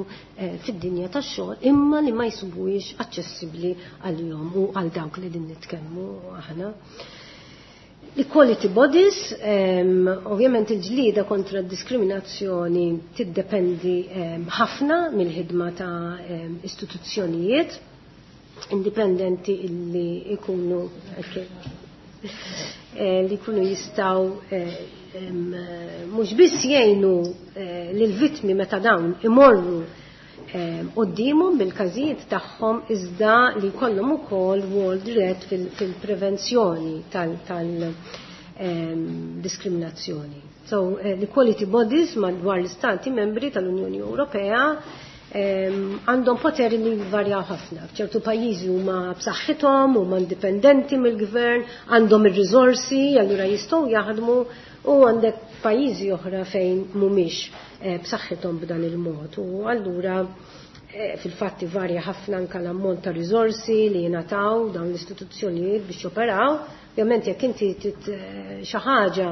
fid-dinja tax-xogħol imma li ma jsibuhiex aċċessibbli għalihom u għal dawk li din nitkellmu aħna. L-equality bodies, ovvjament il-ġlieda kontra d-diskriminazzjoni tiddependi ħafna mill-ħidma ta' istituzzjonijiet indipendenti illi jkunu li jkunu jistgħu mhux biss jgħinu lill-vittmi meta dawn imorru quddiemhom bil-każijiet tagħhom iżda li jkollhom ukoll rwol dirett fil-prevenzjoni tal-diskriminazzjoni. So l-equality bodies madwar l-istati membri tal-Unjoni Ewropea għandhom poteri li jvarjaw ħafna. F'ċertu pajjiżi huma b'saħħithom, huma indipendenti mill-gvern, għandhom ir-riżorsi, allura jistgħu jaħdmu, u għandek pajjiżi oħra fejn mhumiex b'saħħithom b'dan il-mod. U allura fil-fatti varja ħafna anke l-ammont ta' riżorsi li jingħataw dawn l-istituzzjonijiet biex joperaw. Ovvjament jekk inti xi ħaġa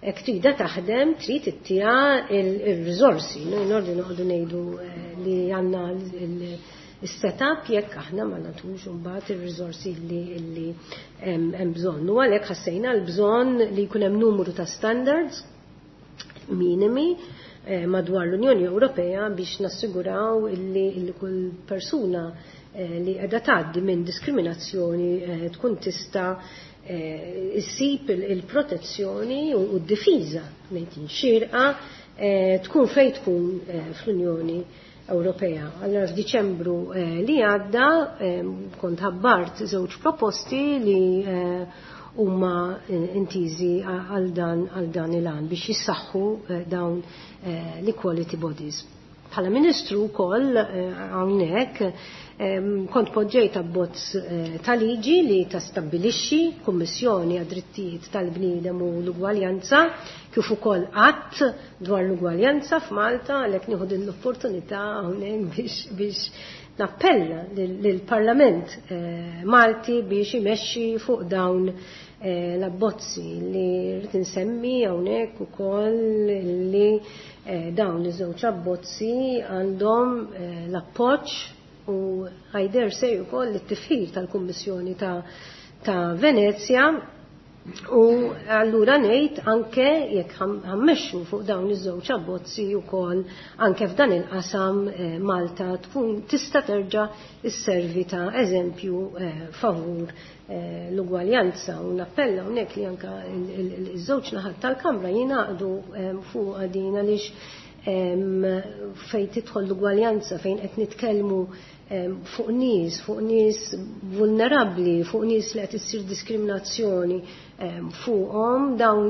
jekk trida taħdem, trid ittiha il-riżorsi. Noi nordu noqogħdu ngħidu li għandna il-setup jekk aħna ma nagħtux imbagħad ir-riżorsi li hemm bżonn. U għalhekk ħassejna l-bżonn li jkun hemm numru ta' standards minimi madwar l-Unjoni Ewropea biex nassiguraw illi kull persuna li qiegħda tgħaddi minn diskriminazzjoni tkun tista' issib il-protezzjoni u d-difiża ngħid xierqa tkun fejn tkun fl-Unjoni Ewropea. Allora f'Diċembru li għadda kont ħabbart żewġ proposti li huma intiżi għal dan il-għan biex jissaħħu dawn l-equality bodies. Bħala ministru wkoll hawnhekk kont poġġejt abbozz ta' liġi li tastabbilixxi Kummissjoni għad-Drittijiet tal-Bniedem u l-Ugwaljanza kif ukoll att dwar l-ugwaljanza f'Malta, għalhekk nieħu din l-opportunità hawnhekk biex nappella lill-Parlament Malti biex imexxi fuq dawn l-abbozzi li rrid insemmi hawnhekk ukoll li dawn iż-żewġ abbozzi għandhom l-appoġġ u I dare say ukoll it-tifħir tal-Kummissjoni ta' Venezja. U allura ngħid anke jekk ħammexxu fuq dawn iż-żewġ abbozzi wkoll anke f'dan il-qasam Malta tkun tista' terġa' isservi ta' eżempju favur l-ugwaljanza. U nappella hawnhekk li anke iż-żewġ naħat tal-Kamra jingħaqdu fuq din għaliex fejn tidħol l-ugwaljanza, fejn qed nitkellmu fuq nies vulnerabbli, fuq nies li qed issir diskriminazzjoni fuqhom, dawn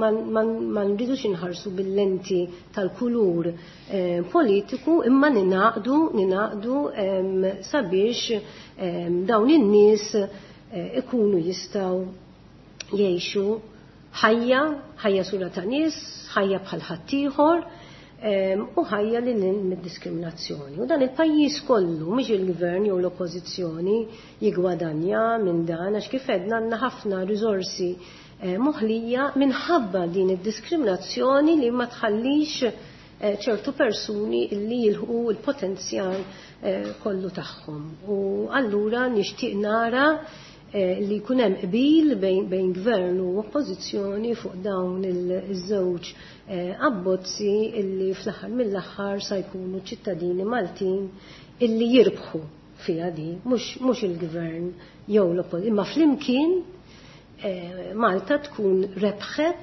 ma nridux inħarsu bil-lenti tal-kulur politiku, imma ninaqdu sabiex dawn in-nies ikunu jistgħu jgħixu ħajja sura ta' nies, ħajja bħal ħaddieħor, u ħajja li lil mid-diskriminazzjoni. U dan il-pajjiż kollu, mhux il-gvern jew l-oppożizzjoni jigwadanja minn dan, għax kif għedna għandna ħafna riżorsi moħlija minħabba din id-diskriminazzjoni li ma tħallix ċertu persuni li jilħqu l-potenzjal kollu tagħhom. U allura nixtieq nara li jkun hemm qbil bejn gvern u oppożizzjoni fuq dawn iż-żewġ abbozzi illi fl-aħħar mill-aħħar sa jkunu ċittadini Maltin illi jirbħu fiha di, mhux il-gvern jew l-oppożizzjoni, imma flimkien Malta tkun rebħet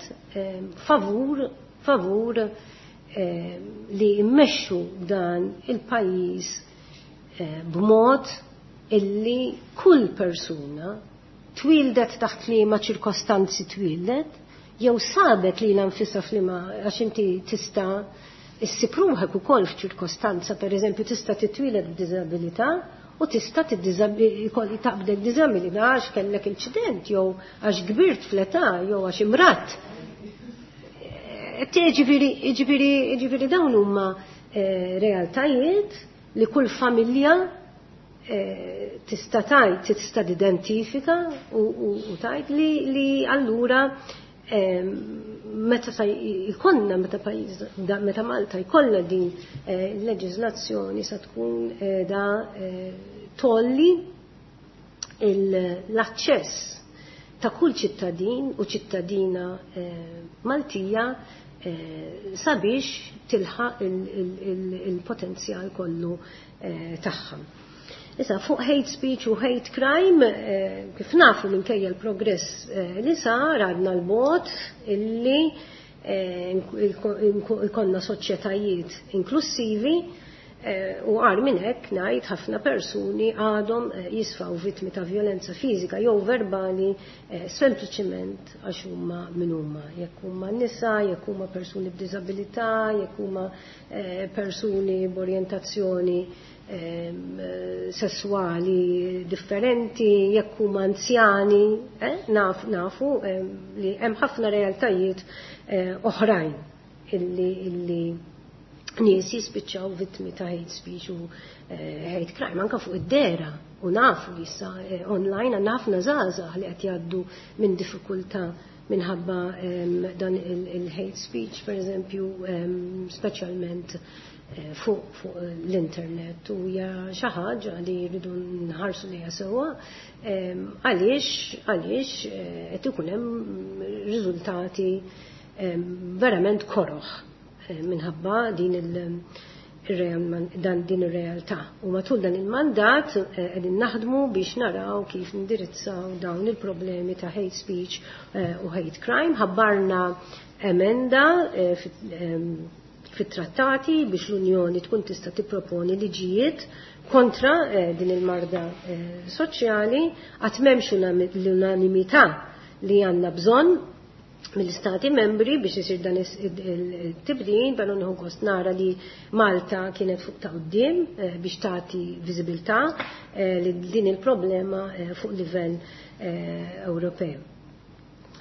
favur li jmexxu dan il-pajjiż b'mod illi kull persuna twildet taħt liema ċirkostanzi twildet, jew sabet lilha nfisha f'liema, għax inti tista' issib ruħek ukoll f'ċirkostanza, pereżempju tista' titwieled b'diżabilità u tista' taqbdek diżabilità għax kellek inċident jew għax kbirt fl-età jew għax imrat. Ġifieri dawn huma realtajiet li kull familja tista' tgħid, tista' tidentifika u tgħid li allura meta jkollna, meta pajjiż, meta Malta jkollha din il-leġiżlazzjoni sa tkun da tolli l-aċċess ta' kull ċittadin u ċittadina Maltija sabiex tilħaq il-potenzjal kollu tagħha. Issa, fuq hate speech u hate crime, kif nafu minkejja l-progress li sar, għadna l-bot illi ikonna soċjetajiet inklusivi, u għar minn hekk ngħid ħafna persuni għadhom jisfaw vittmi ta' violenza fiżika jew verbali sempliċiment għax huma min huma, jekk huma nisa, jekk huma persuni b'diżabilità, jekk huma persuni b'orjentazzjoni sessuali differenti, jekk huma anzjani, nafu li hemm ħafna realtajiet oħrajn illi nies jispiċċaw vittmi ta' hate speech u hate crime, anka fuq id-dera, u nafu li issa online għandna ħafna żgħażagħ li qed jgħaddu minn diffikultà minħabba dan il-hate speech, per eżempju, speċjalment fuq l-internet, u hija xi ħaġa li rridu nħarsu lejha sewwa, għaliex qed ikun hemm riżultati verament koroħ minħabba din ir-realtà. U matul dan il-mandat qegħdin naħdmu biex naraw kif nindirizzaw dawn il-problemi ta' hate speech u hate crime. Ħabbarna emenda fit-trattati biex l-Unjoni tkun tista' tipproponi liġijiet kontra din il-marda soċjali. Qatt m'hemmx l-unanimità li għandna bżonn mill-istati membri biex isir dan il-tibdil, però nieħu gost nara li Malta kienet fuq ta' quddiem biex tagħti viżibilità li din il-problema fuq livell Ewropew.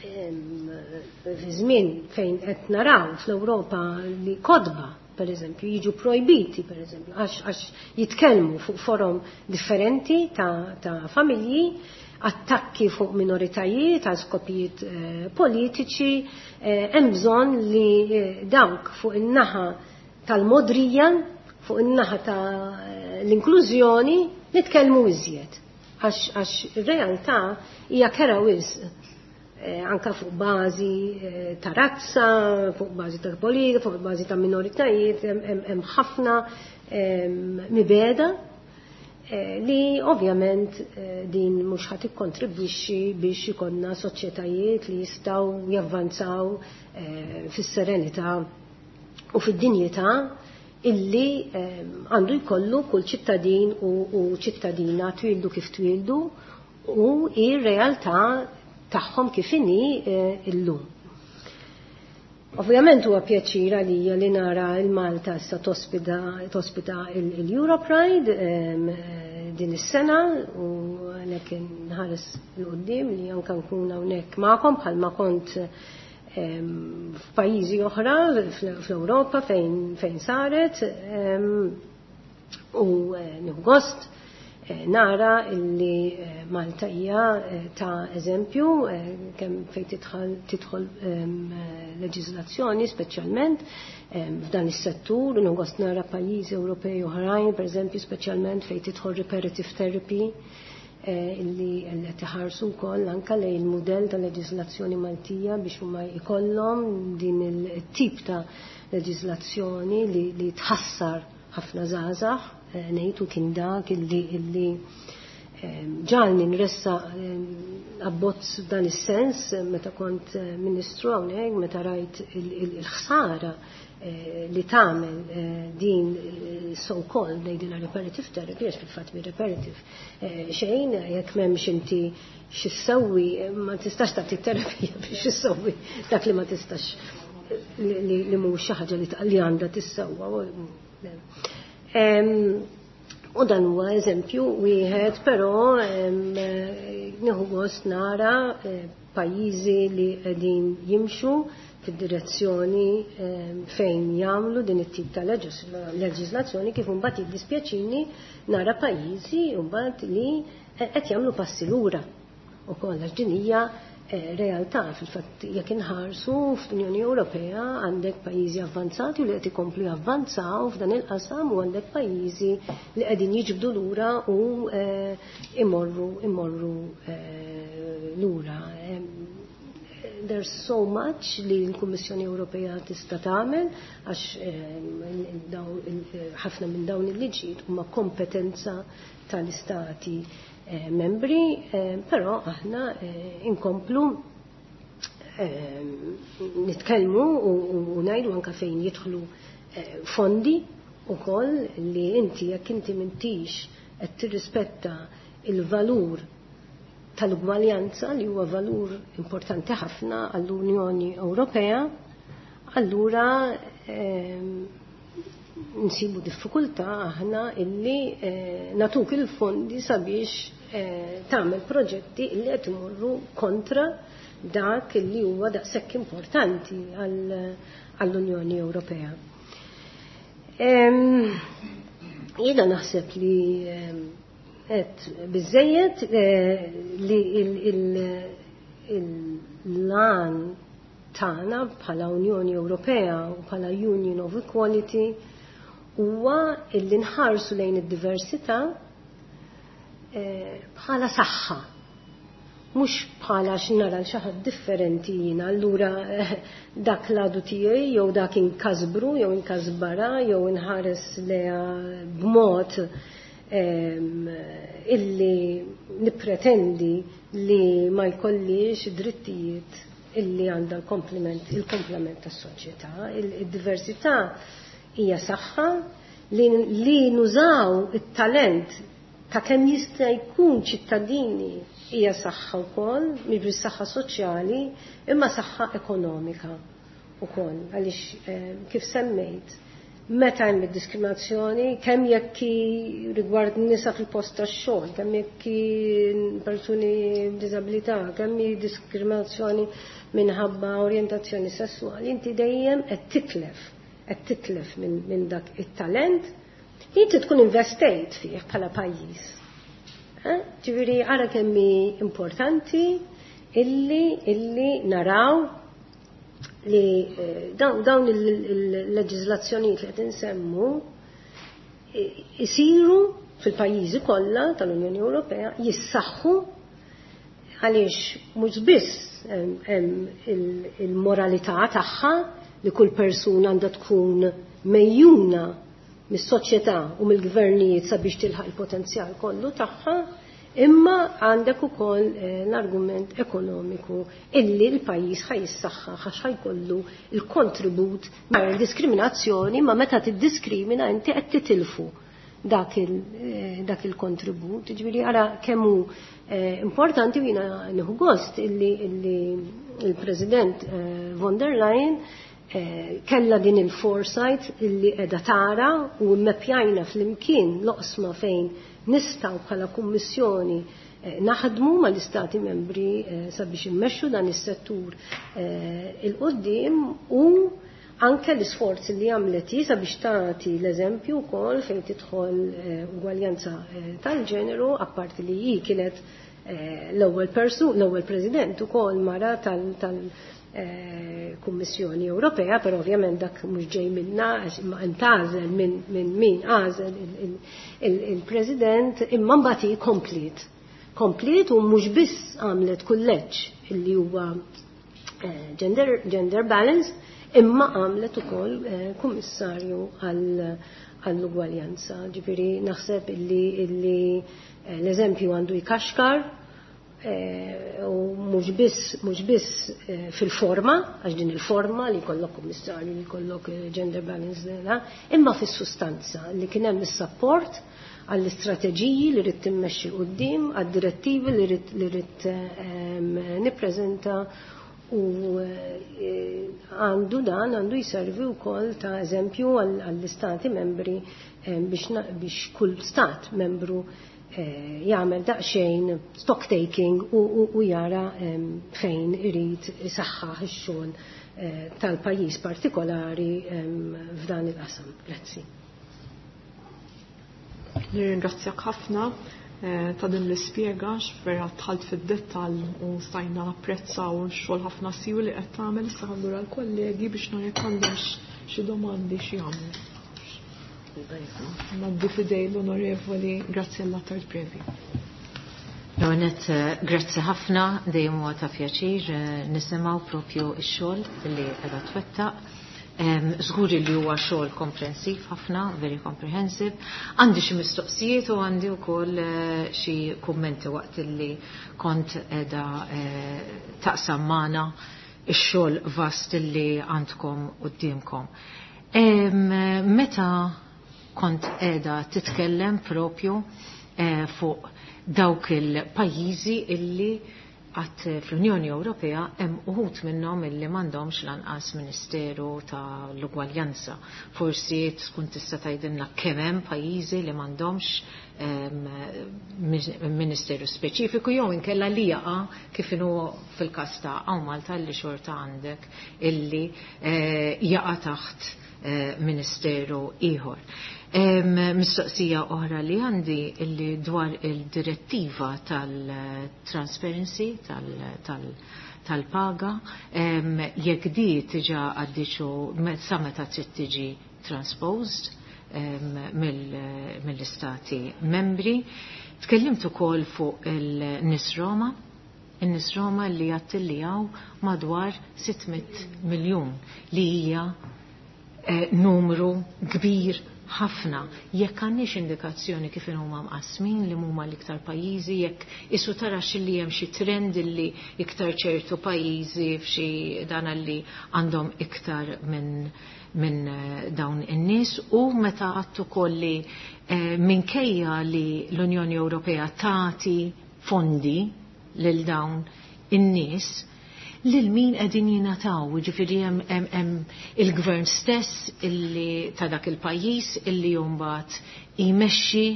Fi żmien fejn qed naraw fl-Ewropa li kodba, per eżempju, jiġu projbiti, per eżempju, għax jitkellmu fuq forom differenti ta' familji, attakki fuq minoritajiet għal skopijiet politiċi, hemm bżonn li dawk fuq in-naħa tal-modrija, fuq in-naħa ta' l-inklużjoni, nitkellmu iżjed. Għax ir-realtà hija kera wisq. Anka fuq bażi ta' razza, fuq bażi ta' politika, fuq bażi ta' minoritajiet, hemm ħafna mibeda li ovvjament din mhux ħadd ikkontribwixxi biex ikollna soċjetajiet li jistgħu javvanzaw fis-serenità u fid-dinjità illi għandu jkollu kull ċittadin u ċittadina twildu kif twildu u ir-realtà tagħhom kif inhi illum. Ovvjament huwa pjaċir għalija li nara l-Malta issa tospita il-Europride din is-sena, u għalhekk nħares 'l quddiem li anke nkun hawnhekk magħkom bħalma kont f'pajjiżi oħra fl-Ewropa fejn saret, u nieħu gost nara illi Malta hija ta' eżempju kemm fejn tidħol leġiżlazzjoni speċjalment f'dan is-settur, u nieħu gost nara pajjiżi Ewropej oħrajn, pereżempju speċjalment fejn tidħol reparative therapy, illi qed iħarsu wkoll anke lejn il-mudell ta' leġiżlazzjoni Maltija biex huma jkollhom din il-tip ta' leġiżlazzjoni li tħassar ħafna żgħażagħ. Ngħidu kien dak illi Ġalni nressa abbozz dan is-sens meta kont ministru hawnhekk, meta rajt il-ħsara li tagħmel din so called ngħidilha reparative therapy, għax fil-fatt mi reparative xejn, jekk m'hemmx inti x'issewwi ma tistax tagħti terapija biex issewwi dak li ma tistax li mhux xi ħaġa li għandha tissewwa. U dan huwa eżempju wieħed, però nieħu gost nara pajjiżi li qegħdin jimxu fid-direzzjoni fejn jagħmlu din it-tip ta' leġiżlazzjoni, kif imbagħad jiddispjaċini nara pajjiżi mbagħad li qed jagħmlu passi lura ukoll, għax din hija realtà. Fil-fatt, jekk inħarsu fl-Unjoni Ewropea, għandek pajjiżi avvanzati u li qed ikomplu javvanzaw f'dan il-qasam u għandek pajjiżi li qegħdin jiġbdu lura u imorru lura. There's so much li l-Kummissjoni Ewropea tista' tagħmel, għax ħafna minn dawn il-liġijiet huma kompetenza tal-istati membri, però aħna inkomplu nitkellmu u ngħidu anke fejn jidħlu fondi ukoll li inti jekk inti m'intix qed tirrispetta il-valur tal-ugwaljanza, li huwa valur importanti ħafna għall-Unjoni Ewropea, allura nsibu diffikultà aħna illi nagħtuk il-fondi sabiex tagħmel proġetti illi qed imorru kontra dak illi huwa daqshekk importanti għall-Unjoni Ewropea. Jiena naħseb li qed biżejjed li l-għan tagħna bħala Unjoni Ewropea u bħala Union of Equality huwa illi nħarsu lejn id-diversità bħala saħħa, mhux bħala x'nara xi ħadd differenti jiena, allura dak l-għadu tiegħi jew dak inkasbru jew inkasbara jew inħares leha b'mod illi nippretendi li ma jkollix drittijiet illi għandha il-komplement tas-soċjetà. Il-diversità hija saħħa li nużaw it-talent ta' kemm jista' jkun ċittadini hija saħħa wkoll, mhix biss saħħa soċjali, imma saħħa ekonomika wkoll, għaliex kif semmejt, meta hemm id-diskriminazzjoni, kemm jekk rigward nisa fil-post tax-xogħol, kemm jekk persuni b'diżabilità, kemm hi diskriminazzjoni minħabba orjentazzjoni sessuali, inti dejjem qed titlef minn dak it-talent li inti tkun investejt fih bħala pajjiż. Ġifieri ara kemm hi importanti illi naraw li dawn il-leġiżlazzjonijiet li qed insemmu isiru fil-pajjiżi kollha tal-Unjoni Ewropea, jissaħħu, għaliex mhux biss hemm il-moralità tagħha li kull persuna għandha tkun megħjuna mis-soċjetà u mill-gvernijiet sabiex tilħaq il-potenzjal kollu tagħha, imma għandek ukoll l-argument ekonomiku illi l-pajjiż ħa jissaħħaħ għax ħa jkollu il-kontribut diskriminazzjoni, ma meta tiddiskrimina inti qed titilfu dak il-kontribut. Ġifieri ara kemm hu importanti. Jiena nieħu gost illi il-President von der Leyen kella din il-foresight illi qiegħda tara u mmeppjajna flimkien l-oqsma fejn nistgħu bħala kummissjoni naħdmu mal-istati membri sabiex immexxu dan is-settur 'il quddiem, u anke l-isforzi li għamlet hi sabiex tagħti l-eżempju wkoll fejn tidħol ugwaljanza tal-ġeneru, apparti li hi kienet l-ewwel persu, l-ewwel president ukoll mara tal Kummissjoni Ewropea, però ovvjament dak mhux ġej minna għax imma intgħażel minn min għażel il-President, imma mbagħad hi kompliet. Kompliet u mhux biss għamlet kulleġġ illi huwa gender balance. Imma għamlet ukoll kummissarju għall-ugwaljanza. Ġifieri naħseb illi l-eżempju għandu jkaxkar u mhux biss fil-forma, għax din il-forma li jkollok kummissarju, li jkollok gender balance, imma fis-sustanza li kien hemm is-support għall-istrateġiji li rrid timmexxi quddiem, għad-direttivi li rrid nippreżenta u għandu dan għandu jservi wkoll ta' eżempju għall-istati membri biex kull stat membru jagħmel daqsxejn stock taking u jara fejn irid isaħħaħ ix-xogħol tal-pajjiż partikolari f'dan il-qasam. Grazzi. Nirringrazzjak ħafna ta' din l-ispjega vera dħalt fid-dettall u stajna napprezzaw x-xogħol ħafna siwi li qed tagħmel. Issa ħandur għall-kollegi biex nara jekk għandhomx xi domandi xi jagħmlu. Ngħaddi f'idej l-Onorevoli Graziella Attard Previ. L-għonet, grazzi ħafna, dejjem huwa ta' pjaċir nisimgħu propju x-xogħol li qiegħda twettaq. Żgur li huwa xogħol komprensiv ħafna, very comprehensive. Għandi xi mistoqsijiet u għandi wkoll xi kummenti waqt li kont qiegħda taqsam magħna x-xogħol vast li għandkom quddiemkom. Meta kont qiegħda titkellem propju fuq dawk il-pajjiżi illi għat fl-Unjoni Ewropea hemm uħud minnhom illi m'għandhomx lanqas Ministeru tal-Ugwaljanza. Forsi tkun tista' tgħidilna kemm hemm pajjiżi li m'għandhomx ministeru speċifiku jew inkella li jaqa' kif inhu fil-każ ta' hawn Malta li xorta għandek illi jaqa' taħt ministeru ieħor. Mistoqsija oħra li għandi illi dwar il-direttiva tal-transparency tal-paga, jekk di tiġa għaddiċu sa meta trid tiġi transposed mill-istati membri. Tkellimt ukoll fuq il-Nis Roma, in-nies Roma li jattillijaw madwar 600 miljun li hija numru kbir ħafna. Jekk għandniex indikazzjoni kif huma mqasmin li huma l-iktar pajjiżi, jekk isu tara li hemm xi trend li iktar ċertu pajjiżi f'xi dan li għandhom iktar minn dawn in-nies, u meta għattu ukoll li minkejja li l-Unjoni Ewropea tagħti fondi lil dawn in-nies, lil min qegħdin jingħataw, jiġifieri hemm il-gvern stess illi ta' dak il-pajjiż illi mbagħad jmexxi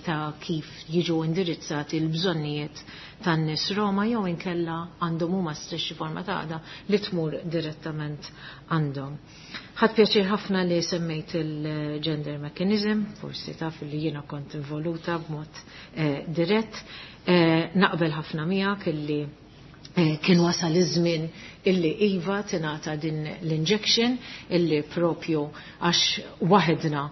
ta' kif jiġu indirizzati l-bżonnijiet tan-nies Roma, jew inkella għandhom huma stess xi forma ta' għaqda li tmur direttament għandhom. Ħadd pjaċir ħafna li semmejt il-gender mechanism, forsi taf li jiena kont involuta b'mod dirett. Naqbel ħafna miegħek illi kien wasal iż-żmien illi iva tingħata din l-injection illi propju għax waħedna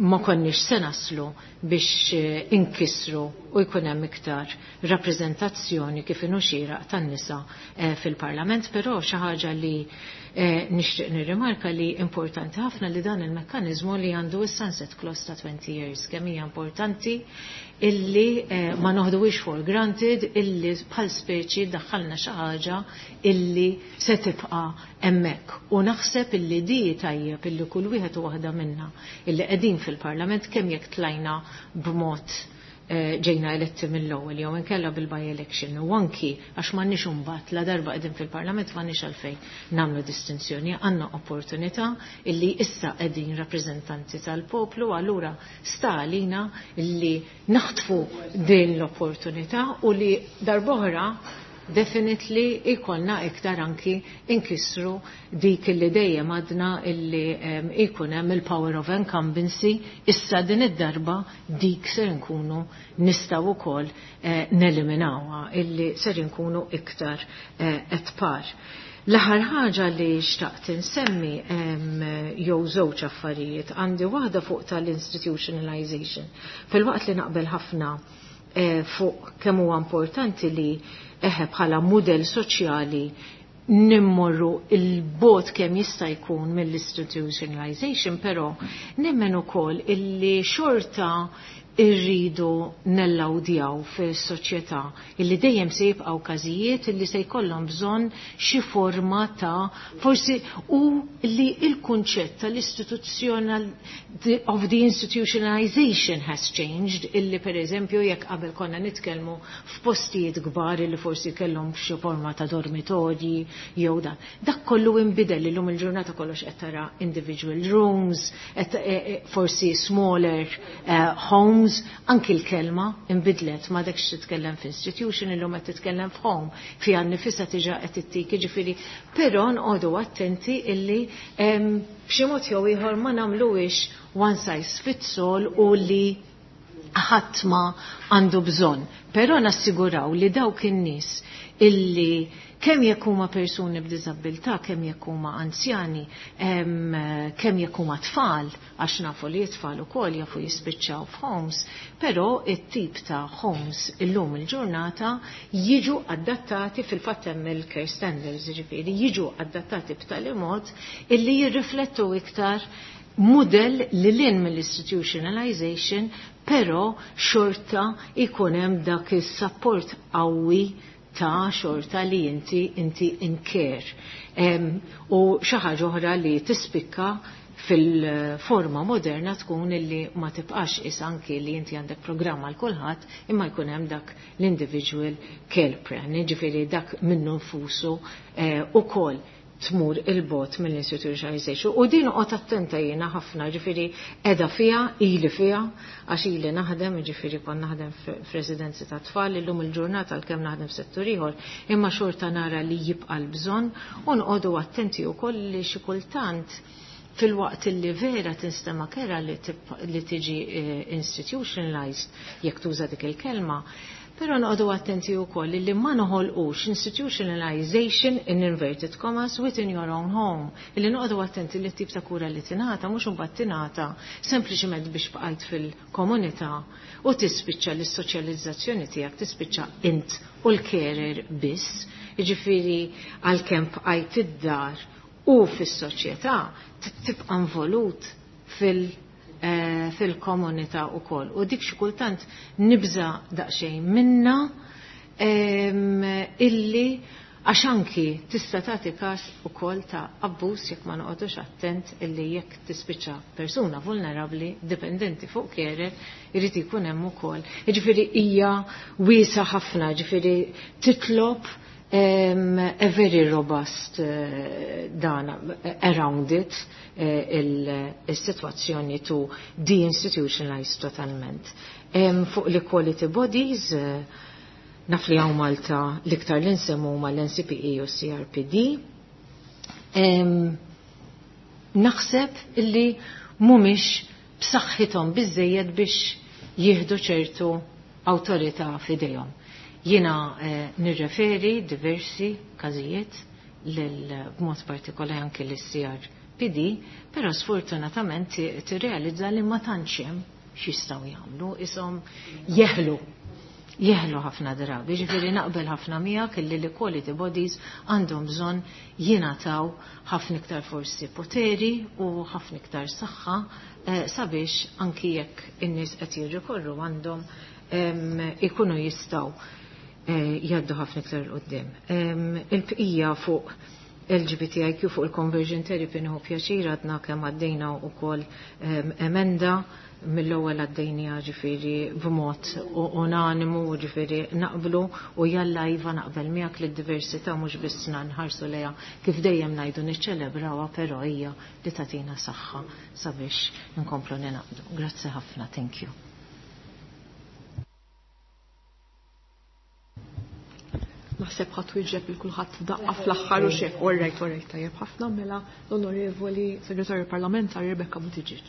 ma konniex se naslu biex inkisru u jkun hemm iktar rappreżentazzjoni kif inhu xieraq tan-nisa fil-Parlament, però xi ħaġa li nixtieq nirrimarka li importanti ħafna li dan il-mekkaniżmu li għandu s-sunset clause ta' 20 years, kemm hija importanti illi ma noħduwix for granted illi bħal speċi daħħalna xi ħaġa illi se tibqa' hemmhekk. U naħseb illi di tajjeb illi kull wieħed u waħda minna illi qegħdin fil-Parlament kemm jekk tlajna b'mod ġejna eletti mill-ewwel jew inkella bil-by election, u anki għax m'għandniex imbagħad la darba qegħdin fil-Parlament m'għandniex għalfejn nagħmlu distinzjoni, għandna opportunità illi issa qegħdin rappreżentanti tal-poplu, allura sta għalina illi naħtfu din l-opportunità u li darb'oħra definitely ikolna iktar anki inkisru dik illi dejjem għadna illi ikun hemm il-power of incumbency, issa din id-darba dik ser nkunu nistgħu wkoll neliminawha illi ser nkunu iktar at par. L-aħħar ħaġa li xtaqt insemmi jew żewġ affarijiet, għandi waħda fuq tal-institutionalization. Fil-waqt li naqbel ħafna fuq kemm huwa importanti li bħala mudell soċjali Nimmorru il-bot kemm jista' jkun mill-institutionalization, però nemmen ukoll illi xorta irridu nellawdjaw fis-soċjetà illi dejjem se jibqgħu każijiet illi se jkollhom bżonn xi forma ta' forsi u li il-kunċett tal-istituzzjonal of the institutionalization has changed, illi per eżempju jekk qabel konna nitkellmu f'postijiet kbar illi forsi kellhom xi forma ta' dormitorji jew dan. Dak kollu inbidel. Illum il-ġurnata kollox qed tara individual rooms, qed forsi smaller homes, anki l-kelma inbidlet, ma dakx titkellem f'institution, illum qed titkellem f'home, fiha nnifisha diġà qed ittik, jiġifieri, però nqogħdu attenti illi b'xi mod jew ieħor ma nagħmluhiex one size fits all u li ħadd ma għandu bżonn. Però nassiguraw li dawk in-nies illi kemm jekk huma persuni b'diżabilità, kemm jekk huma anzjani, kemm jekk huma tfal, għax nafu li t-tfal ukoll jafu jispiċċaw f'homes, però it-tip ta' homes illum il-ġurnata jiġu adattati, fil-fatt hemm il-care standards, jiġifieri jiġu adattati b'tali mod illi jirriflettu iktar model li lin mill-institutionalization, però xorta ikun hemm dak is-support qawwi ta' xorta li inti in care. U xi ħaġa oħra li tispikka fil-forma moderna tkun illi ma tibqax is anki li inti għandek programma għal kulħadd, imma jkun hemm dak l-individual care plan, jiġifieri dak minnu nfusu ukoll tmur il-bot mill-institutionalization. U din uqgħod attenta jiena ħafna, ġifieri qiegħda fiha, ili fiha, għax ili naħdem, ġifieri kon naħdem f'residenzi ta' tfal, illum il-ġurnata għalkemm naħdem f'settur ieħor, imma xorta nara li jibqa' l-bżonn u nqogħdu attenti wkoll li xi kultant, fil-waqt li vera tinstema kera li tiġi institutionalized, jekk tuża dik il-kelma, però noqogħdu attenti wkoll li ma noħolqux institutionalization in inverted commas within your own home. Illi noqogħdu attenti li tip ta' kura li tingħata mhux imbagħad tingħata sempliċement biex bqajt fil-komunità u tispiċċa l-soċjalizzazzjoni tiegħek tispiċċa int u l-carer biss. Jiġifieri għalkemm bqajt id-dar u fis-soċjetà, tibqa' involut fil-komunità ukoll. U dik xi kultant nibża daqsxejn minna, illi għax anki tista' tagħti każ ukoll ta' abbuż jekk ma noqogħdux attent, illi jekk tispiċċa persuna vulnerabbli dipendenti fuq carer, irid ikun hemm ukoll. Jiġifieri hija wiesa ħafna, ġifieri titlob a very robust dan around it, il-situazzjoni to deinstitutionalize totalment. Fuq l-equality bodies, naf li hawn Malta l-iktar li nsemmu huma l-NCPE u CRPD. Naħseb illi mhumiex b'saħħithom biżejjed biex jieħdu ċertu awtorità f'idejhom. Jiena nirreferi diversi każijiet b'mod partikolari anke lis-CRPD, però sfortunatament tirrealizza li ma tantx hemm x'jistgħu jagħmlu, ishom jeħlu ħafna drabi. Ġifieri naqbel ħafna miegħek illi l-equality bodies għandhom bżonn jingħataw ħafna iktar forsi poteri u ħafna iktar saħħa, sabiex anki jekk in-nies qed jirrikorru għandhom ikunu jistgħu jgħaddu ħafna iktar 'il quddiem. Il-bqija fuq LGBTIQ, fuq il-conversion therapy, nieħu pjaċir għadna kemm għaddejna wkoll emenda mill-ewwel, għaddejnija ġifieri b'mod unanimu, ġifieri naqblu u jalla iva, naqbel miegħek li d-diversità mhux biss nħarsu lejha kif dejjem ngħidu niċċelebrawha, però hija li tagħtina saħħa sabiex nkomplu ninaqdu. Grazzi ħafna, thank you. Naħseb ħadd wieġeb il kulħadd f'daqqa fl-aħħar u xek. All right, tajjeb ħafna, mela l-Onorevoli Segretarju Parlamentari Rebecca Buttigieg.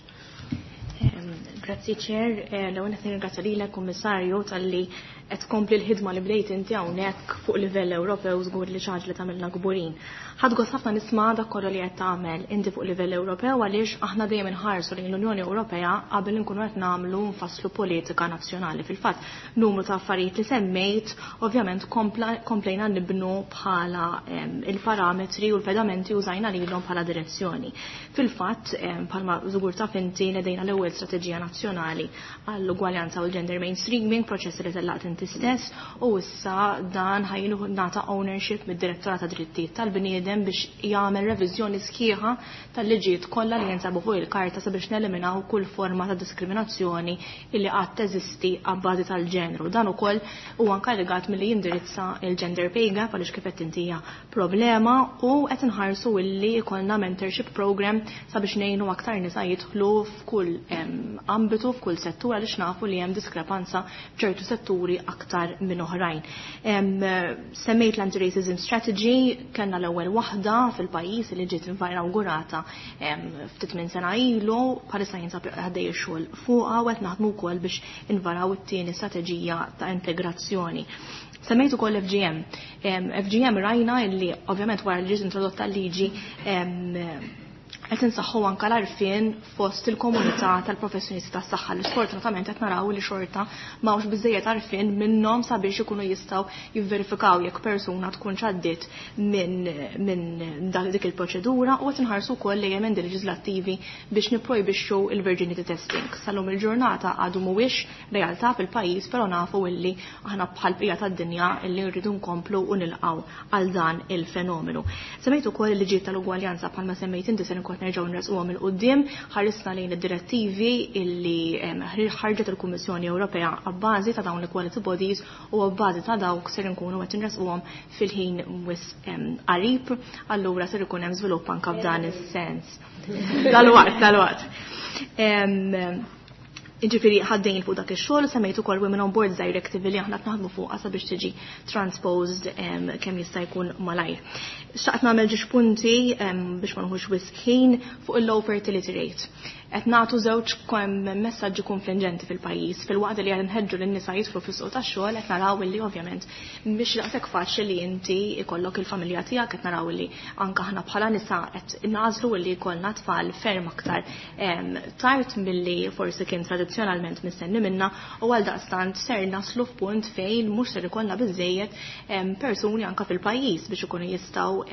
Grazzi, Chair, l-ewwel qed nirringrazzja lilek, Kummissarju, talli Qed tkompli l-ħidma li bdejt inti hawnhekk fuq livell Ewropew żgur li xi ħaġa li tagħmilna kburin. Ħadt gost ħafna nisma' dak kollu li qed tagħmel inti fuq livell Ewropew għaliex aħna dejjem inħarsu lejn l-Unjoni Ewropea qabel inkunu qed nagħmlu nfasslu politika nazzjonali. Fil-fatt, numru ta' affarijiet li semmejt ovvjament komplejna nibnu bħala il-parametri u l-pedamenti użajna lilhom bħala direzzjoni. Fil-fatt, bħalma żgur taf inti nedejna l-ewwel strateġija nazzjonali għall-ugwaljanza u l-gender mainstreaming, proċess li tellaqt inti stess, u issa dan ħajnu nata ownership mid-Direttorat ta' Drittijiet tal-Bniedem biex jagħmel reviżjoni sħiħa tal-liġijiet kollha li jinsabu fuq il-karta sabiex neliminaw kull forma ta' diskriminazzjoni illi qatt teżisti għabbażi tal-ġenru. Dan ukoll huwa inkarigat milli jindirizza il-gender pay gap għaliex kif qed inti hija problema u qed inħarsu illi jkollna mentorship program sabiex ngħinu aktar nisa jidħlu f'kull ambitu, f'kull settur għaliex nafu li hemm diskrepanza f'ċertu setturi aktar minn oħrajn. Semmejt l-anti-racism strategy, kellna l-ewwel waħda fil-pajjiż li ġiet inaugurata ftit minn sena ilu, bħalissa jinsab għaddej ix-xogħol fuqha u qed naħdmu wkoll biex invaraw it-tieni strateġija ta' integrazzjoni. Semmejt ukoll FGM. FGM rajna illi ovvjament wara li ġiet introdotta l-liġi qed insaħħu anke l-għarfien fost il-komunità tal-professjonisti tas-saħħa li sfortunatament qed naraw li xorta m'hawnx biżejjed għarfien minnhom sabiex ikunu jistgħu jivverifikaw jekk persuna tkun għaddiet minn dik il-proċedura u qed inħarsu wkoll lejn emendi leġislattivi biex nipprojbixxu il-virginity testing. Sal-lum il-ġurnata għadu mhuwiex realtà fil-pajjiż, però nafu illi aħna bħal bqija tad-dinja illi rridu nkomplu u nilqgħu għal dan il-fenomenu. Semmejt ukoll il-liġijiet tal-ugwaljanza bħalma semmejt inti se nkun nerġgħu nresquhom 'il quddiem, ħarisna lejn id-direttivi illi ħarġet il-Kummissjoni Ewropea għabbażi ta' dawn l-equality bodies u għabbażi ta' dawk ser nkunu qed nresquhom fil-ħin wisq qarib, allura ser ikun hemm żvilupp anke f'dan is-sens. Dalwaqt, dalwaqt. Ġifieri ħaddejn fuq dak ix-xogħol, semmejt ukoll Women on Boards Directive li aħna naħdmu fuqha sabiex tiġi transposed kemm jista' jkun malajr. Xtaqt nagħmel ġiex punti biex ma nħux wisq ħin fuq il-low fertility rate. Qed nagħtu żewġ messaġġi konfliġenti fil-pajjiż. Fil-waqt li qed nħeġġu lin-nisa jidħlu fis-suq tax-xogħol qed naraw illi ovvjament mhix daqshekk faċli li inti ikollok il-familja tiegħek, qed naraw illi anke aħna bħala nisa qed nagħżlu illi jkollna tfal ferm aktar tard milli forsi kien tradizzjonalment mistenni minna u għal daqstant ser naslu f'punt fejn mhux ser ikollna biżejjed persuni anke fil-pajjiż biex ikunu jistgħu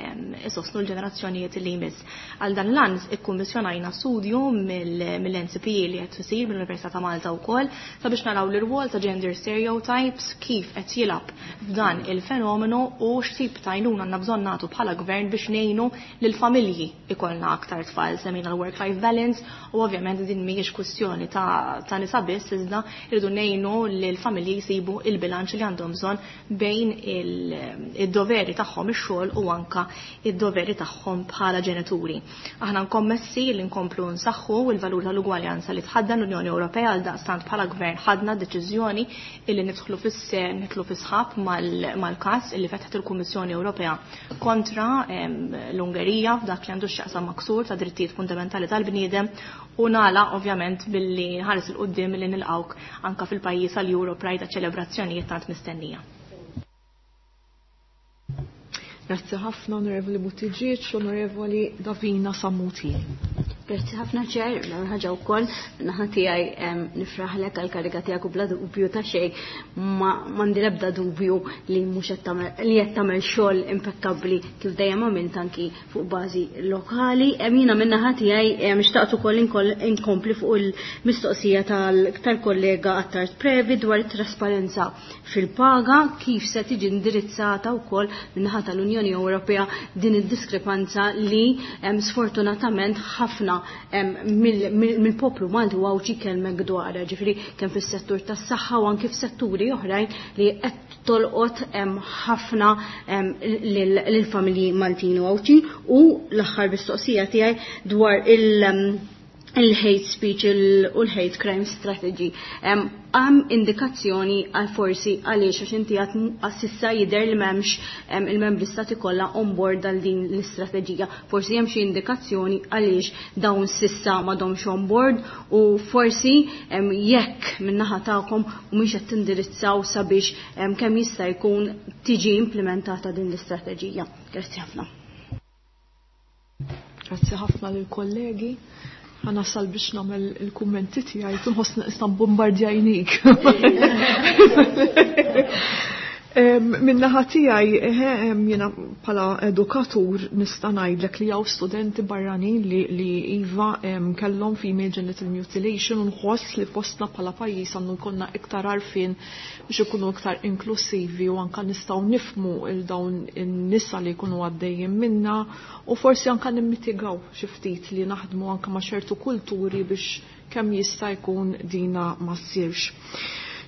isostnu l-ġenerazzjonijiet li jmiss. Għal dan l-għan ikkummissjonajna studju mill-NCPE li qed isir mill-Università ta' Malta wkoll sabiex naraw l-irwol ta' gender stereotypes kif qed jilgħab f'dan il-fenomenu u x'tip ta' għajnuna għandna bżonn nagħtu bħala gvern biex ngħinu lill-familji ikollna aktar tfal. Semmejna l-work-life balance u ovvjament din mhijiex kwistjoni ta' nisa biss, iżda rridu ngħinu lill-familji jsibu il-bilanċ li għandhom bżonn bejn id-doveri tagħhom ix-xogħol u anka id-doveri tagħhom bħala ġenituri. Aħna nkommessi li nkomplu nsaħħu il-valur tal-ugwaljanza li tħaddan l-Unjoni Ewropea għal daqstant bħala gvern ħadna deċiżjoni illi nidħlu nidħlu fis-sħab mal-każ illi fetħet il-Kummissjoni Ewropea kontra l-Ungerija f'dak li għandu x'jaqsam maksur ta' drittijiet fundamentali tal-bniedem u nala ovvjament billi ħares il quddiem li nilqawk anka fil-pajjiż għal Euro Pride ċelebrazzjonijiet tant mistennija. Grazzi ħafna Onorevoli Buttigieg, Onorevoli Davina Sammuti. Grazzi ħafna ċer, l-ewwel ħaġa wkoll naħa tiegħi nifraħlek għal kariga tiegħek u bla dubju ta' xejn ma m'għandi l-ebda dubju li mhux qed tagħmel li qed tagħmel xogħol impekkabbli kif dejjem għamilt anki fuq bażi lokali. Jiena min-naħa tiegħi xtaqt ukoll inkompli fuq il-mistoqsija tal-kollega Attard Previ dwar it-trasparenza fil-paga, kif se tiġi indirizzata wkoll min-naħa tal-Unjoni Ewropea din id-diskrepanza li sfortunatament ħafna mill-poplu Malti u Għawdxi kellmek dwarha, ġifieri kemm fis-settur tas-saħħa u anke f'setturi oħrajn li qed tolqot ħafna lill-familji Maltin u Għawdxin. U l-aħħar mistoqsija tiegħi dwar Il-hate speech u l-hate crime strategy. Hemm indikazzjoni għal forsi għaliex għax inti għad s'issa jidher li m'hemmx il-membri stati kollha on board għal din l-istrateġija. Forsi hemm xi indikazzjoni għaliex dawn s'issa m'għadhomx on board u forsi jekk min-naħa tagħkom mhumiex qed tindirizzaw sabiex kemm jista' jkun tiġi implementata din l-istrateġija. Grazzi ħafna. Grazzi ħafna lill-kollegi. Ħa nasal biex nagħmel il-kummenti tiegħi, tinħoss nista' bombardjajnik. Min-naħa tiegħi jiena bħala edukatur nista' ngħidlek li hawn studenti barranin li iva kellhom female genital mutilation u nħoss li fostna bħala pajjiż għandu jkollna iktar għarfien biex ikunu iktar inklusivi u anka nistgħu nifhmu il dawn in-nisa li jkunu għaddejjin minna u forsi anka nimmitigaw xi ftit li naħdmu anka ma' ċertu kulturi biex kemm jista' jkun dina ma ssirx.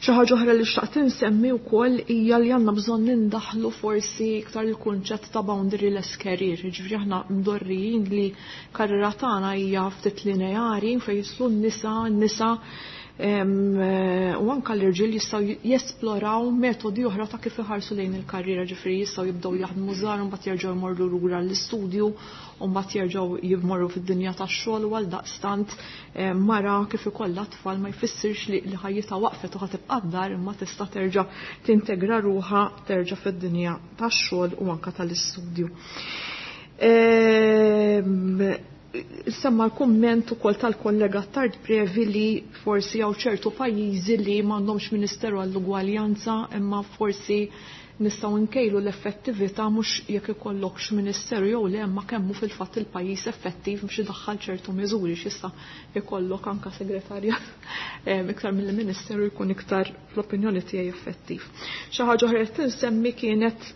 Xi ħaġa oħra li xtaqt insemmi wkoll hija li għandna bżonn nindaħlu forsi iktar il-kunċett ta' boundaryless career. Jiġifieri aħna mdorrijin li karriera tagħna hija ftit lineari fejn jislu n-nisa, n-nisa u anka l-irġiel jistgħu jesploraw metodi oħra ta' kif iħarsu lejn il-karriera, ġifieri jistgħu jibdew jaħdmu żgħar u mbagħad jerġgħu jmorru lura l-istudju u mbagħad jerġgħu jmorru fid-dinja tax-xogħol u għaldaqstant mara kif ikollha tfal ma jfissirx li ħajjitha waqfet u ħa tibqa' d-dar imma tista' terġa' tintegra ruħha terġa' fid-dinja tax-xogħol u anka tal-istudju. Semma l-kumment ukoll tal-kollega Tard Previ li forsi hawn ċertu pajjiżi li m'għandhomx Ministeru għall-Ugwaljanza imma forsi nistgħu nkejlu l-effettività mhux jekk ikollokx ministeru jew le imma kemm hu fil-fatt il-pajjiż effettiv biex idaħħal ċertu miżuri x'jista' ikollok anka segretarja iktar mill-ministeru jkun iktar fl-opinjoni tiegħi effettiv. Xi ħaġa oħra li tinsemmi kienet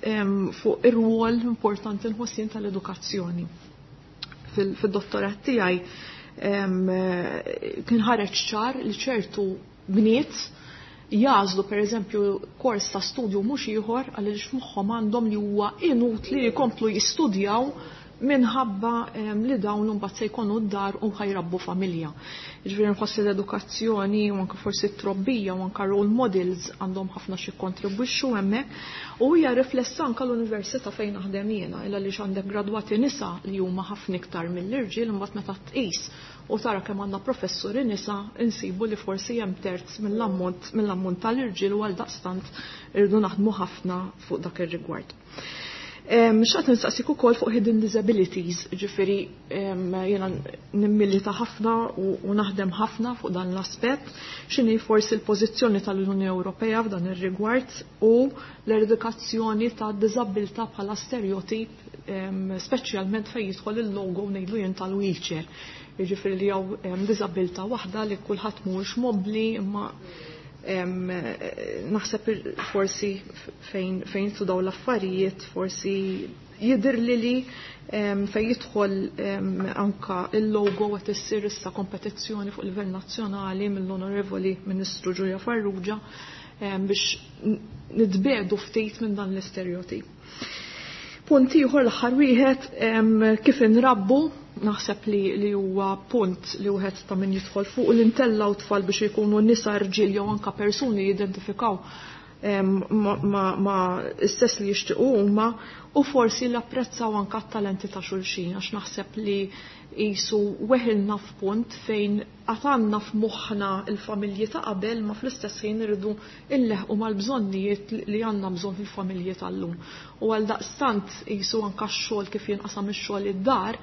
fuq ir-rwol importanti nħossien tal-edukazzjoni. Fil-dottorat tiegħi kien ħareġ ċar li ċertu bniet jażlu pereżempju kors ta' studju mhux ieħor għaliex f'moħħhom għandhom li huwa inutli li jkomplu jistudjaw minħabba li dawn imbagħad se jkunu d-dar u ħajrabbu familja. Jiġifieri nħoss li l-edukazzjoni u anke forsi t-trobbija u anke role models għandhom ħafna xi jikkontribwixxu hemmhekk u hija riflessa anke l-università fejn naħdem jiena illa għaliex għandek gradwati nisa li huma ħafna iktar mill-irġiel imbagħad meta tqis u tara kemm għandna professuri nisa insibu li forsi hemm terz mill-ammont tal-irġiel u għaldaqstant irridu naħdmu ħafna fuq dak ir-rigward. Xtaqt nistaqsik ukoll fuq hidden disabilities, ġifieri jiena nimmilita ħafna u naħdem ħafna fuq dan l-aspett, x'inhi forsi l-pożizzjoni tal-Unjoni Ewropea f'dan ir-rigward u l-eradikazzjoni ta' diżabilità bħala stereotip, speċjalment fejn jidħol il-logo ngħidlu jien tal-wheelchair. Jiġifieri li hawn diżabilità waħda li kulħadd mhuwiex mobbli imma naħseb forsi fejn fejn daw l-affarijiet forsi jidher li fejn jidħol anka il-logo qed issir issa kompetizzjoni fuq livell nazzjonali mill-Onorevoli Ministru Julia Farrugia biex nitbedu ftit minn dan l-istereotip. Punt ieħor l-aħħar wieħed kif inrabbu naħseb li huwa punt li wieħed ta' min jidħol fuq li ntellaw tfal biex ikunu nisa rġiel jew anka persuni jidentifikaw ma istess li jixtiequ huma u forsi li apprezzaw anka t-talenti ta' xulxin għax naħseb li qisu weħilna f'punt fejn għatanna f'moħħna il-familji ta' qabel ma fl-istess ħin irridu illeħqu mal-bżonnijiet li għandna bżonn fil-familji tal-lum. U għal daqstant qisu anka x-xogħol kif jinqasam ix-xogħol id-dar,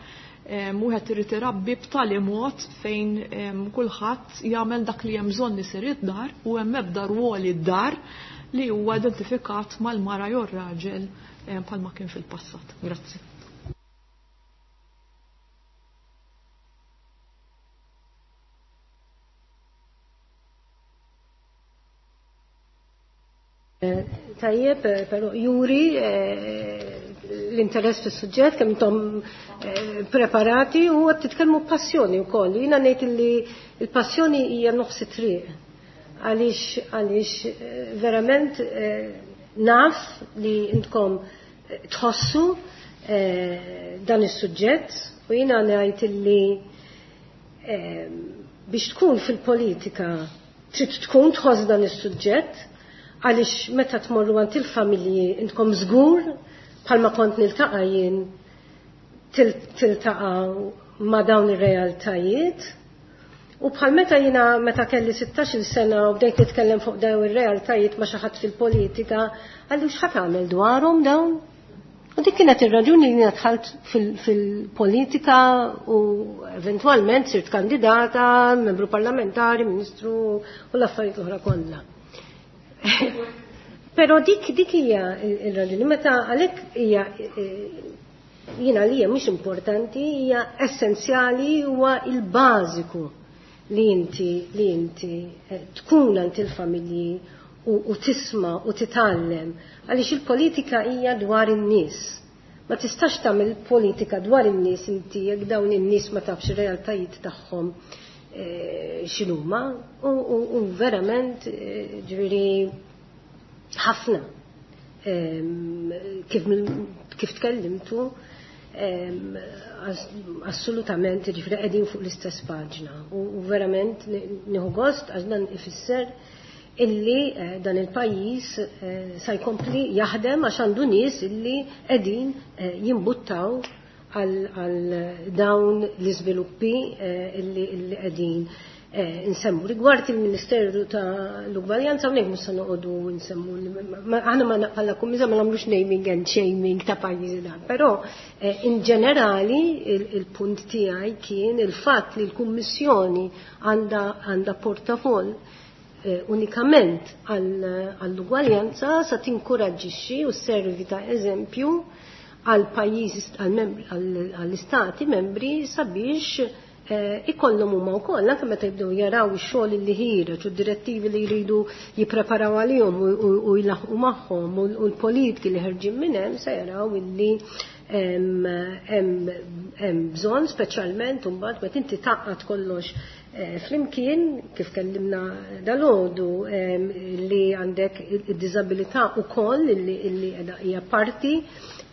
wieħed irid irabbi b'tali mod fejn kulħadd jagħmel dak li hemm bżonn isir id-dar u hemm ebda rwol id-dar li huwa identifikat mal-mara jew raġel bħalma kien fil-passat. Grazzi. Tajjeb, però juri l-interess fis-suġġett kemm intom preparati u qed titkellmu b'passjoni wkoll. Jiena ngħid li l-passjoni hija nofs it-triq. Għaliex verament naf li intkom tħossu dan is-suġġett u jiena ngħid li Biex tkun fil-politika trid tkun tħoss dan is-suġġett għaliex meta tmorru għand il-familji intkom żgur bħalma kont niltaqa' jien tiltaqa' ma' dawn ir-realtajiet. U bħal meta jiena meta kelli 16-il sena u bdejt nitkellem fuq dawn ir-realtajiet ma' xi ħadd fil-politika, qalli x'ħa tagħmel dwarhom dawn? U dik kienet ir-raġuni li jiena dħalt fil-politika u eventwalment sirt kandidata, membru parlamentari, ministru u l-affarijiet l-oħra kollha. Però dik hija ir-raġuni meta għalhekk hija jiena li hija mhux importanti, hija essenzjali, huwa il-bażiku li inti tkun għand il-familji u tisma' u titgħallem, għaliex il-politika hija dwar in-nies. Ma tistax tagħmel politika dwar in-nies inti jekk dawn in-nies ma tafx ir-realtajiet tagħhom x'inhuma u verament ġifieri ħafna kif tkellimtu assolutament ġifieri qegħdin fuq l-istess paġna u verament nieħu gost għax dan ifisser illi dan il-pajjiż sa jkompli jaħdem għax għandu nies illi qegħdin jimbuttaw għal dawn l-iżviluppi illi qegħdin nsemmu. Rigward il-Ministeru ta' l-Ugwaljanza, hawnhekk mhux se noqogħdu nsemmu, aħna ma bħala kummissar ma nagħmlux naming and shaming ta' pajjiżi dan, però in ġenerali il-punt tiegħi kien il-fatt li l-Kummissjoni għandha portafoll unikament għall-ugwaljanza sa tinkoraġġixxi u servi ta' eżempju għal pajjiżi għall-istati membri sabiex ikollhom huma wkoll anke meta jibdew jaraw ix-xogħol li ħiereġ u d-direttivi li jridu jippreparaw għalihom u jlaħqu magħhom u l-politiki li ħerġin minn hemm se jaraw illi hemm bżonn speċjalment imbagħad meta inti taqgħad kollox flimkien kif kellimna dalgħodu li għandek id-diżabilità wkoll illi hija parti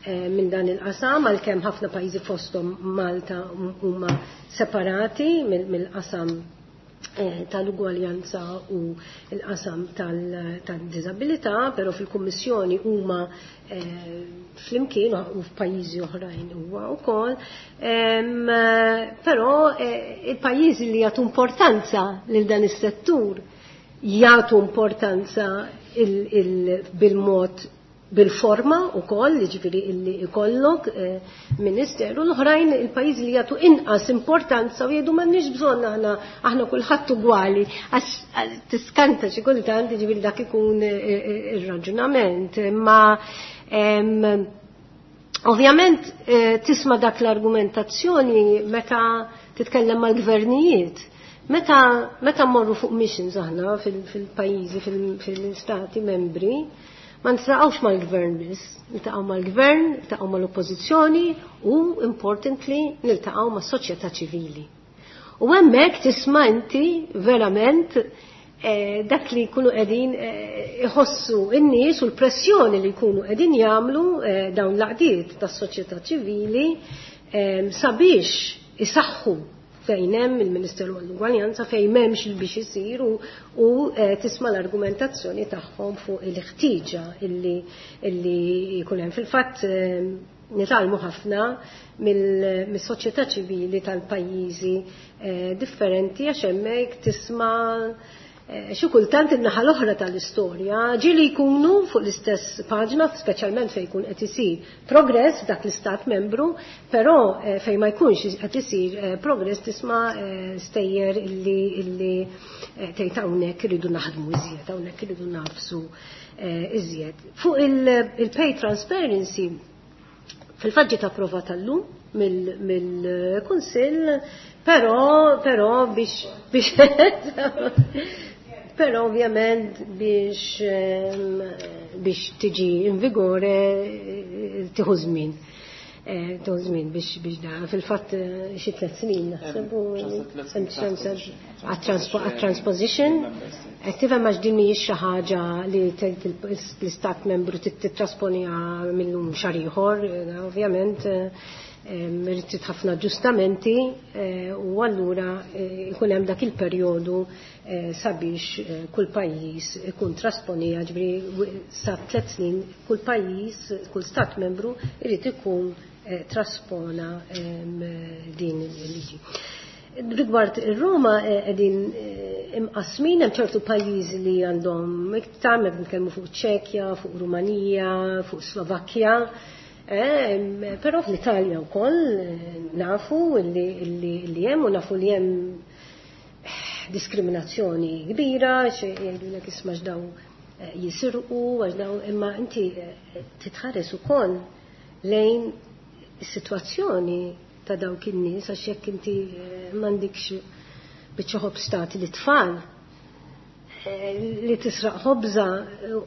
minn dan il-qasam, għalkemm ħafna pajjiżi fosthom Malta huma separati mill-qasam tal-ugwaljanza u l-qasam tad-diżabilità, però fil-Kummissjoni huma flimkien u f'pajjiżi oħrajn huwa wkoll. Però il-pajjiżi li jagħtu importanza lil dan is-settur jagħtu importanza bil-mod bil-forma u koll, ġifiri illi ikollok ministeru, l-oħrajn il-pajjiżi li jagħtu inqas importanza u jgħidu m'għandniex bżonn aħna kulħadd ugwali, għax tiskanta xi kultant ġifieri dak ikun ir-raġunament. Imma ovvjament tisma' dak l-argumentazzjoni meta titkellem mal-gvernijiet. Meta mmorru fuq missions aħna fil-pajjiżi, fil-stati membri, ma niltaqgħux mal-gvern biss, niltaqgħu mal-gvern, niltaqgħu mal-oppożizzjoni u importantly niltaqgħu mas-soċjetà ċivili. U hemmhekk tisma' inti verament dak li jkunu qegħdin iħossu n-nies u l-pressjoni li jkunu qegħdin jagħmlu dawn l-għaqdiet tas-soċjetà ċivili sabiex isaħħu fejn hemm il-Ministeru għall-Ugwaljanza, fejn m'hemmx il biex isir u tisma' l-argumentazzjoni tagħhom fuq il-ħtieġa illi jkun hemm. Fil-fatt nitgħallmu ħafna mis-soċjetà ċivili tal-pajjiżi differenti għax hemmhekk tisma' xi kultant in-naħa l-oħra tal-istorja ġieli jkunu fuq l-istess paġna, speċjalment fejn jkun qed isir progress f'dak l-istat membru, però fejn ma jkunx qed isir progress tisma' stejjer illi tgħid hawnhekk iridu naħdmu iżjed, hawnhekk iridu nafsu iżjed. Fuq il-pay transparency, fil-fatt ġiet approvata llum mill-Kunsill, però biex però ovvjament biex tiġi in vigore tieħu żmien. Tieħu żmien biex da fil-fatt xi 3 snin naħseb għat-transposition. Qed tifhem għax din mhijiex xi ħaġa li tgħid l-istat membru titrasponija minnhom xahar ieħor, ovvjament. Irid ħafna aġġustamenti u allura ikun hemm dak il-perjodu sabiex kull pajjiż ikun trasponija, ġifieri sa 3 snin kull pajjiż, kull stat membru irid ikun traspona din il-liġi. Rigward ir-Roma qegħdin imqasmin, hemm ċertu pajjiżi li għandhom iktar, meta nitkellmu fuq Ċekja, fuq Rumanija, fuq Slovakkja, però fl-Italja wkoll nafu li hemm u nafu li hemm diskriminazzjoni kbira, jgħidulek isma' x'daw jisirqu, għax daw, imma inti titħares ukoll lejn is-sitwazzjoni ta' dawk in-nies, għax jekk inti m'għandikx biċċa ħobż tagħti lit-tfal, li tisraq ħobża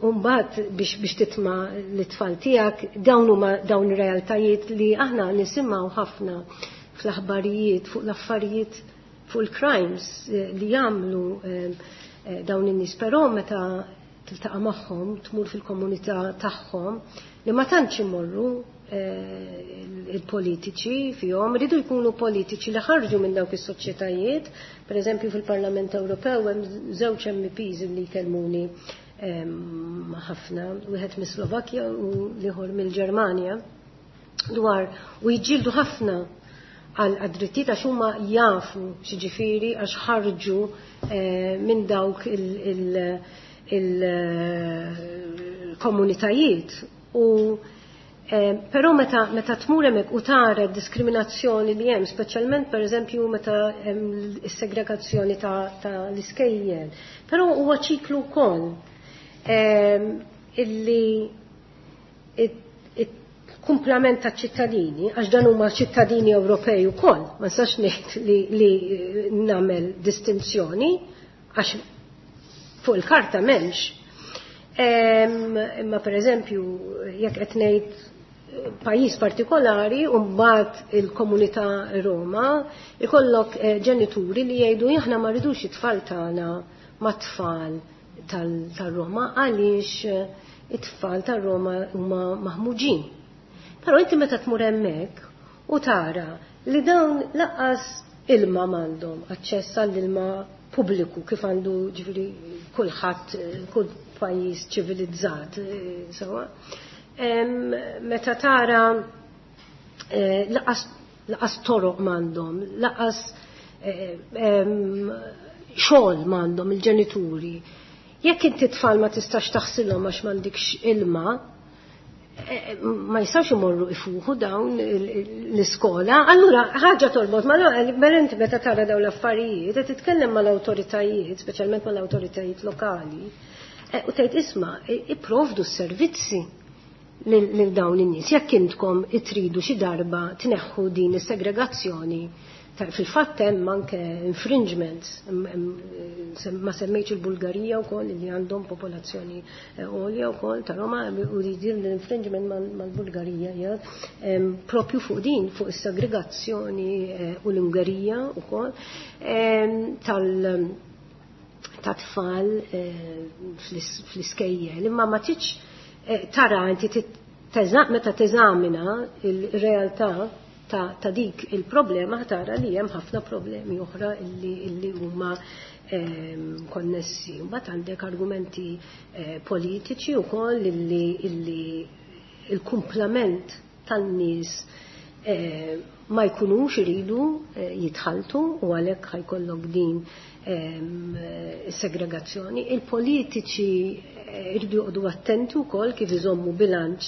u mbagħad biex titma' lit-tfal tiegħek, dawn huma dawn ir-realtajiet li aħna nisimgħu ħafna fl-aħbarijiet fuq l-affarijiet, fuq il-crimes li jagħmlu dawn in-nies, però meta tiltaqa' magħhom, tmur fil-komunità tagħhom li ma tantx imorru il-politiċi fihom, ridu jkunu politiċi li ħarġu minn dawk is-soċjetajiet. Per eżempju fil-Parlament Ewropew hemm żewġ MPs li jkellmuni ħafna, wieħed mis-Slovakkja u l-ieħor mill-Ġermanja, dwar u jiġġieldu ħafna għal drittijiet għax huma jafu x'jiġifieri għax ħarġu minn dawk il-komunitajiet. U però meta tmur hemmhekk u tara d-diskriminazzjoni li hemm, speċjalment pereżempju meta hemm is-segregazzjoni ta' l-iskejjel, però huwa ċiklu wkoll illi il-kumplament ta' ċittadini, għax dan huma ċittadini Ewropej ukoll, ma nistax ngħid li nagħmel distinzjoni għax fuq il-karta m'hemmx. Imma pereżempju jekk qed ngħid pajjiż partikolari u mbagħad il-komunità Roma, ikollok ġenituri li jgħidu aħna ma rridux it-tfal tagħna mat-tfal tal-Roma għaliex it-tfal tar-Roma huma maħmuġin. Però inti meta tmur hemmhekk u tara li dawn lanqas ilma m'għandhom aċċess għall-ilma pubbliku kif għandu ġifieri kulħadd, kull pajjiż ċivilizzat, sewa. Meta tara laqas toroq m'għandhom, laqas xogħol m'għandhom il-ġenituri. Jekk inti tfal ma tistax taħsilhom għax m'għandikx ilma, ma jistgħux imorru ifuħu dawn l-iskola, allura ħaġa torbot ma mela inti meta tara dawn l-affarijiet qed titkellem mal-awtoritajiet, speċjalment mal-awtoritajiet lokali, u tgħid isma' ipprovdu s-servizzi lil dawn in-nies. Jekk intkom itridu xi darba tneħħu din is-segregazzjoni, fil-fatt hemm anke infringements, ma semmejtx il-Bulgarija wkoll li għandhom popolazzjoni għolja wkoll ta' Roma, u li din l-infringement mal-Bulgarija hija propju fuq din, fuq is-segregazzjoni u l-Ungerija wkoll ta' tfal fl-iskejjel. Imma ma tridx tara inti meta teżamina il-realtà ta' dik il-problema, tara li hemm ħafna problemi oħra illi huma konnessi. Mbagħad għandek argumenti politiċi wkoll illi il-kumplament tan-nies ma jkunux iridu jitħaltu u għalhekk ħajkollok din segregazzjoni. Il-politiċi iridu joqogħdu attenti wkoll kif iżommu bilanċ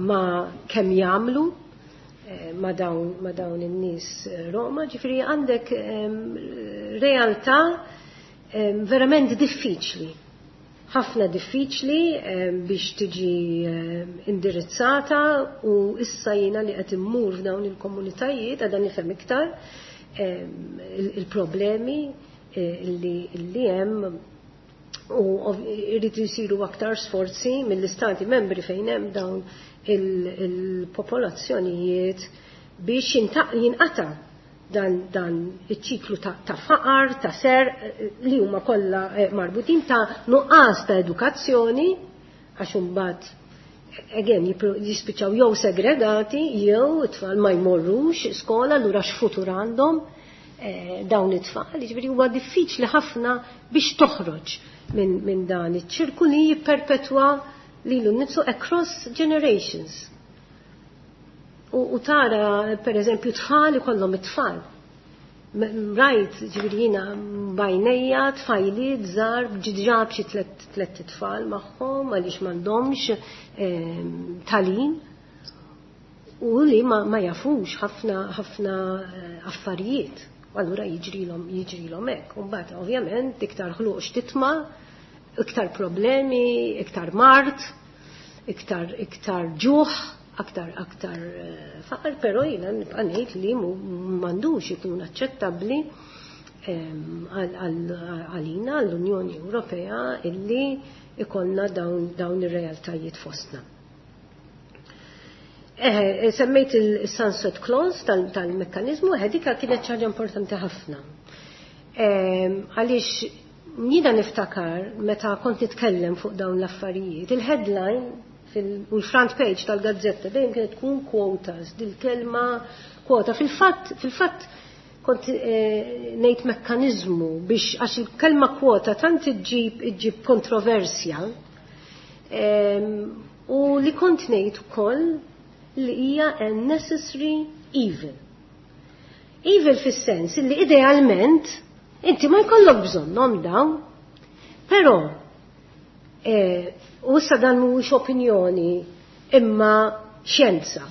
ma kemm jagħmlu ma dawn in-nies Roma, ġifieri għandek realtà verament diffiċli, ħafna diffiċli biex tiġi indirizzata, u issa jiena li qed immur f'dawn il-komunitajiet għadha nifhem iktar il-problemi li hemm, u jridu jsiru aktar sforzi mill-istati membri fejn hemm dawn il-popolazzjonijiet biex jinqata' dan iċ-ċiklu ta' faqar, ta' ser, li huma kollha marbutin ta' nuqqas ta' edukazzjoni, għax imbagħad Again, jispiċċaw jew segregati, jew it-tfal ma jmorrux skola, allura x'futur għandhom dawn it-tfal. Jiġifieri huwa diffiċli ħafna biex toħroġ minn dan iċ-ċirku li jipperpetwa lilu nnifsu across generations. U tara, per eżempju, tfal ikollhom it-tfal. Rajt, ġifieri jiena b'għajnejja, tfajliet żgħar, ġiġa b'xi tliet tfal magħhom għaliex m'għandhomx tagħlim u li ma jafux ħafna ħafna affarijiet. U allura jiġrilhom hekk. U mbagħad ovvjament iktar ħluq x'titma', iktar problemi, iktar mard, iktar ġuħ, aktar faqar, però jiena nibqa' ngħid li m'għandux ikun aċċettabbli għalina għall-Unjoni Ewropea illi ikollna dawn ir-realtajiet fostna. Semmejt il-sunset clause tal-mekkanizmu, dika kienet ħaġa importanti ħafna. Għaliex jiena niftakar meta kont nitkellem fuq dawn l-affarijiet, il-headline u l-front page tal-gazzetta dejjem kienet tkun quotas, dil-kelma kwota. Fil-fatt kont ngħid mekkaniżmu biex għax il-kelma kwota tant iġġib kontroversja, u li kont ngħid ukoll li hija a necessary evil. Evil fis-sens li idealment inti ma jkollok bżonnhom dawn, però u issa dan mhuwiex opinjoni imma xjenza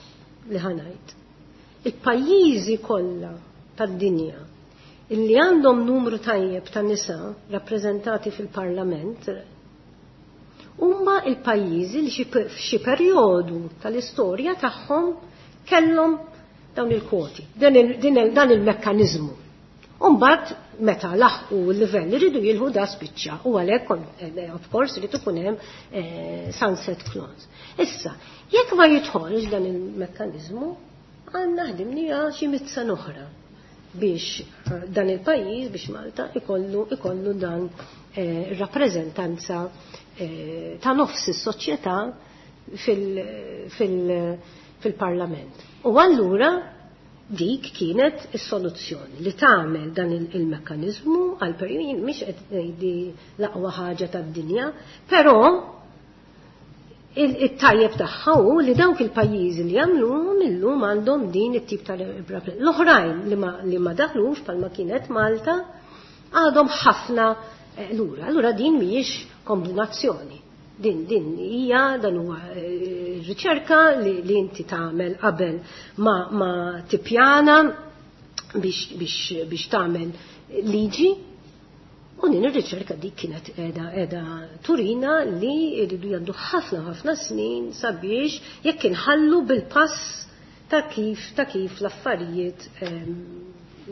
li ħa ngħid. Il-pajjiżi kollha tad-dinja illi għandhom numru tajjeb ta' nisa rappreżentati fil-parlament huma il-pajjiżi li f'xi perjodu tal-istorja tagħhom kellhom dawn il-kwoti, dan il-mekkaniżmu. U mbagħad meta laħqu l-livell li ridu jilħu da spiċċa u għalhekk of course irid ikun hemm sunset clause. Issa, jekk ma jidħolx dan il-mekkaniżmu, għandna ħdimnija xi 100 sena oħra biex dan il-pajjiż, biex Malta ikollu dan rappreżentanza ta' nofs is-soċjetà fil-parlament. U allura dik kienet is-soluzzjoni li tagħmel dan il-mekkaniżmu għal perjodu, mhix qed ngħidi l-aqwa ħaġa tad-dinja, però it-tajjeb tagħha hu li dawk il-pajjiżi li jagħmluhom illum għandhom din it-tip ta' l-oħrajn li ma daħlux bħalma kienet Malta għadhom ħafna lura. Allura din mhijiex kombinazzjoni. Din hija dan huwa riċerka li inti tagħmel qabel ma tippjana biex tagħmel liġi. U din ir-riċerka dik kienet qiegħda turina li jridu jgħaddu ħafna ħafna snin sabiex jekk inħallu bil-pass ta' kif l-affarijiet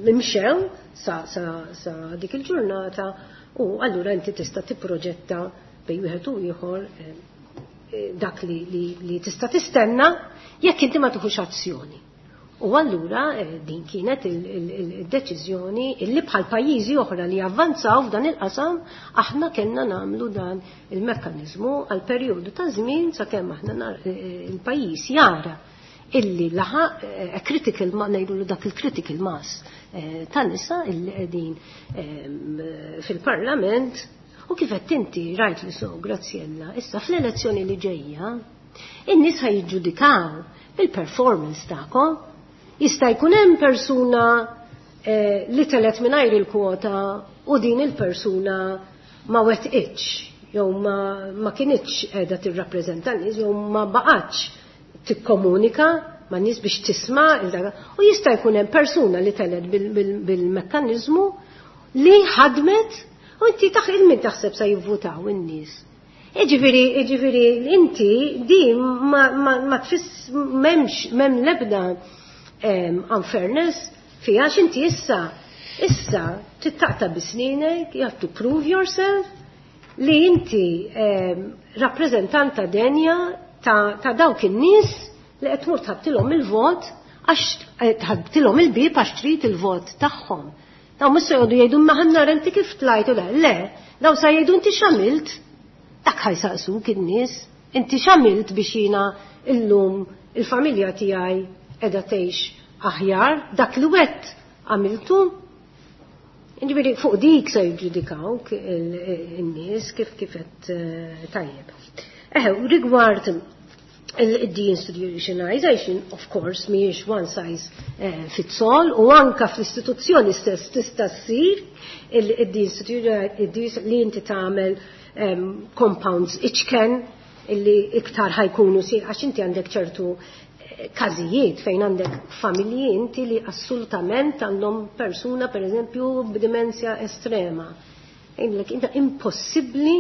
imxew sa dik il-ġurnata, u allura inti tista' tipproġetta bejn wieħed u ieħor dak li tista' tistenna jekk inti ma tieħux azzjoni. U allura din kienet il-deċiżjoni illi bħal pajjiżi oħra li avvanzaw f'dan il-qasam aħna kellna nagħmlu dan il-mekkaniżmu għal perjodu ta' żmien sakemm aħna il-pajjiż jara illi laħaq critical ma ngħidu dak il-critical mass ta' nisa illi qegħdin fil-parlament. U kif qed inti rajt li so, Graziella, issa fl-elezzjoni li ġejja, in-nies ħajġġudikaw il-performance tagħkom. Jista' jkun hemm persuna li telet mingħajr il-kwota u din il-persuna ma wetqitx, jew ma kinitx qiegħda tirrappreżenta n-nies, jew ma baqgħetx tikkomunika ma' nies biex tisma' u jista' jkun hemm persuna li telet bil-mekkaniżmu li ħadmet u inti il-min taħseb sa jivvutaw in-nies. Iġifieri inti di ma tfiss m'hemmx m'hemm l-ebda unfairness fiha, għax inti issa tittaqta bisninek, you have to prove yourself li inti rappreżentanta denja ta' dawk in-nies li qed tmur tħabtilhom il-vot għax tħabtilhom il-bieb għax trid il-vot tagħhom. Daw mhux se jgħodu jgħidu ma ħanna inti kif tlajt u le, le, daw sa jgħidu inti x'għamilt, dak ħajsaqsuk in-nies. Inti x'għamilt biex jiena illum il-familja tiegħi qiegħda tgħix aħjar, dak li wet għamiltu. Ġifieri fuq dik se jiġġudikawk in-nies kif kif qed tajjeb. Eħe, rigward il-deinstitutionalization, of course, mhijiex one size fits all, u anka fl-istituzzjoni stess tista' ssir il-deinstitutionalization li inti tagħmel compounds iċken illi iktar ħa jkunu si, għax inti għandek ċertu każijiet fejn għandek familji inti li assolutament għandhom persuna, per eżempju, b'dimensja estrema. Għindlek, inta impossibbli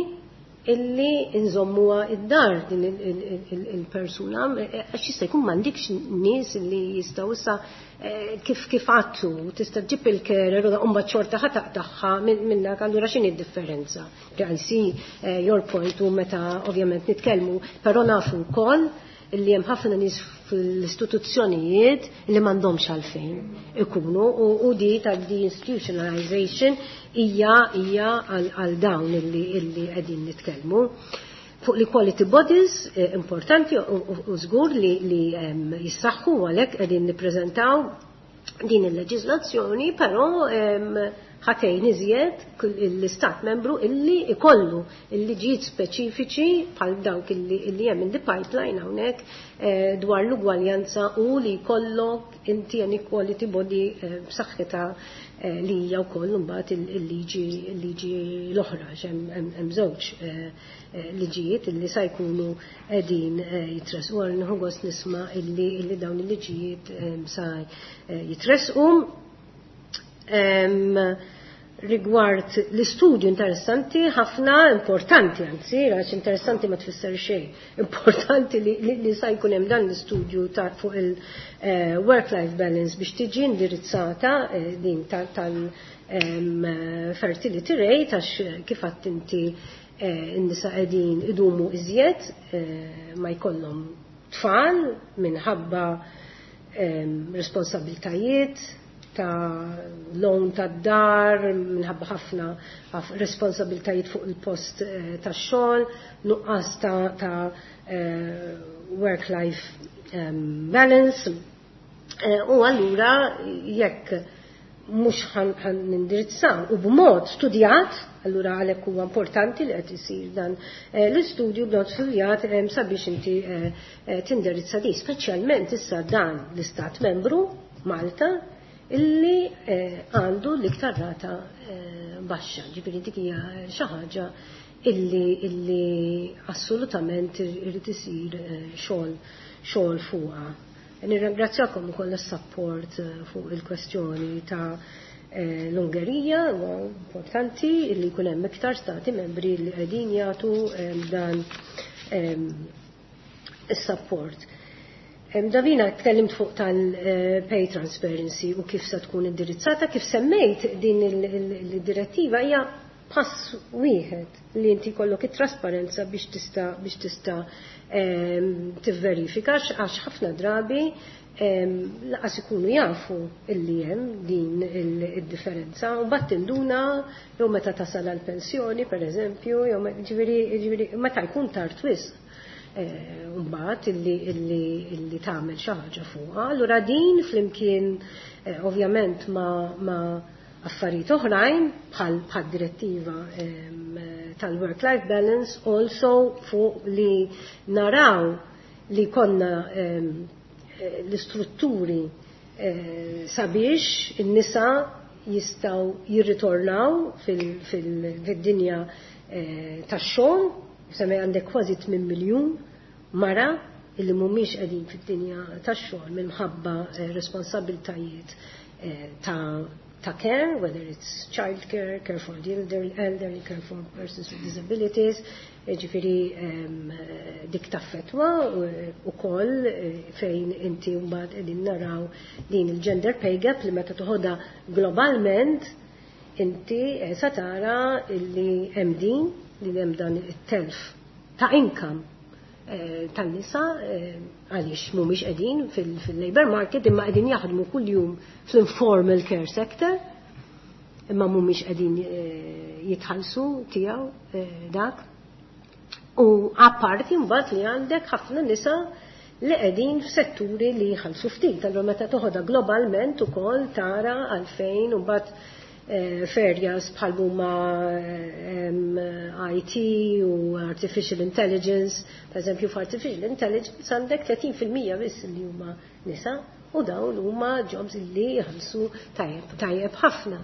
illi nżommuha id-dar din il-persuna, għax jista' jkun m'għandikx nies illi jistgħu issa kif għattu, tista' ġib il-carer u mbagħad xorta ħa taqtagħha minnak, allura x'inhi d-differenza? I see your point u meta ovvjament nitkellmu, però nafu wkoll illi hemm ħafna nies fl-istituzzjonijiet li m'għandhomx għalfejn ikunu u di ta' deinstitutionalization hija għal dawn illi qegħdin nitkellmu. Fuq l-equality bodies importanti u żgur li jissaħħu għalhekk qegħdin nippreżentaw din il-leġiżlazzjoni, però ħatejn iżjed l-istat membru illi ikollu il-liġijiet speċifiċi bħal dawk illi hemm in the pipeline hawnhekk dwar l-ugwaljanza u li jkollok inti an equality body b'saħħitha li hija wkoll imbagħad il-liġi l-oħra, hemm żewġ liġijiet illi sa jkunu qegħdin jitresqu. Għal nieħu gost nisma' illi dawn il-liġijiet sa jitresqu. Rigward l-istudju interessanti, ħafna importanti, anzi, għax interessanti ma tfisser xejn, importanti li sa jkun hemm dan l-istudju ta' fuq il-work-life balance biex tiġi indirizzata din tal-fertility rate, għax kif għadt inti n-nisa qegħdin idumu iżjed ma jkollhom tfal minħabba responsabiltajiet ta' loan ta' dar, minħabba ħafna responsabiltajiet fuq il-post ta' xogħol, nuqqas ta' work-life balance. U allura jekk mhux ħan nindirizzaw u b'mod studjat, allura għalhekk huwa importanti li qed isir dan l-istudju b'mod studjat sabiex inti tindirizza di, speċjalment issa dan l-istat membru Malta illi għandu l-iktar rata baxxa. Ġifieri dik hija xi ħaġa illi assolutament irid isir xogħol fuqha. Nirringrazzjakom ukoll is-support fuq il-kwestjoni ta' l-Ungerija, huwa importanti illi jkun hemm iktar stati membri li qegħdin jagħtu dan is-support. Davina, tkellimt fuq tal-pay transparency u kif se tkun indirizzata, kif semmejt din il-direttiva hija pass wieħed li inti kollok it-trasparenza biex tista' tivverifika, għax ħafna drabi laqas ikunu jafu illi hemm din id-differenza u mbagħad tinduna jew meta tasal għall-pensjoni pereżempju, jew ġifieri meta jkun tard wisq. Mbagħad illi tagħmel xi ħaġa fuqha. Allura din flimkien ovvjament ma affarijiet oħrajn bħal direttiva tal-work-life balance, also fuq li naraw li konna l-istrutturi sabiex in-nisa jistgħu jirritornaw fid-dinja tax-xogħol. Semmi għandek kważi 8 miljun mara illi mhumiex qegħdin fid-dinja tax-xogħol minħabba responsabiltajiet ta' care, whether it's child care, care for the elderly, care for persons with disabilities, ġifieri dik taffetwa u koll fejn inti mbagħad qegħdin naraw din il-gender pay gap li meta toħodha globalment inti sa tara illi hemm din li hemm dan it-telf ta' income tan-nisa għaliex mhumiex qegħdin fil-labor market imma qegħdin jaħdmu kuljum fl-informal care sector imma mhumiex qegħdin jitħallsu tiegħu dak. U apparti mbagħad li għandek ħafna nisa li qegħdin f'setturi li jħallsu ftit. Allura meta toħodha globalment ukoll tara għalfejn u mbagħad f'areas bħal huma IT u artificial intelligence, per eżempju f'artificial intelligence għandek 30% biss li huma nisa u dawn huma jobs li jħallsu tajjeb ħafna.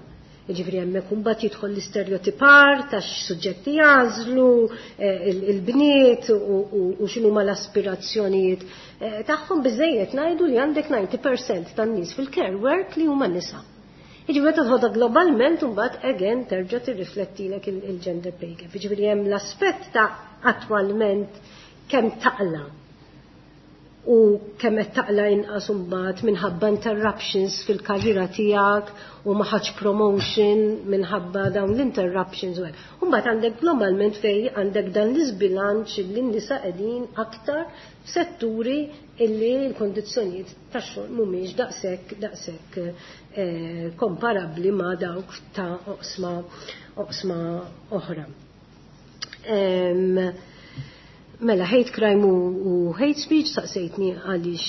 Jiġifieri hemmhekk imbagħad jidħol l-istereotipar ta' x'suġġetti jagħżlu il-bniet u x'inhuma l-aspirazzjonijiet tagħhom. Biżejjed ngħidu li għandek 90% tan-nies fil-care work li huma nisa. Jiġifieri meta tħodha globalment imbagħad again terġa' tirriflettilek il-gender pay gap. Jiġifieri hemm l-aspett ta' attwalment kemm taqla u kemm qed taqla inqas imbagħad minħabba interruptions fil-karriera tiegħek u ma ħadx promotion minħabba dawn l-interruptions u hekk. Imbagħad għandek globalment fej għandek dan l-iżbilanċ li n-nisa qegħdin aktar f'setturi illi l-kondizzjonijiet tax-xogħol mhumiex daqshekk komparabbli ma' dawk ta' oqsma oħra. Mela, hate crime u hate speech, saqsejtni għaliex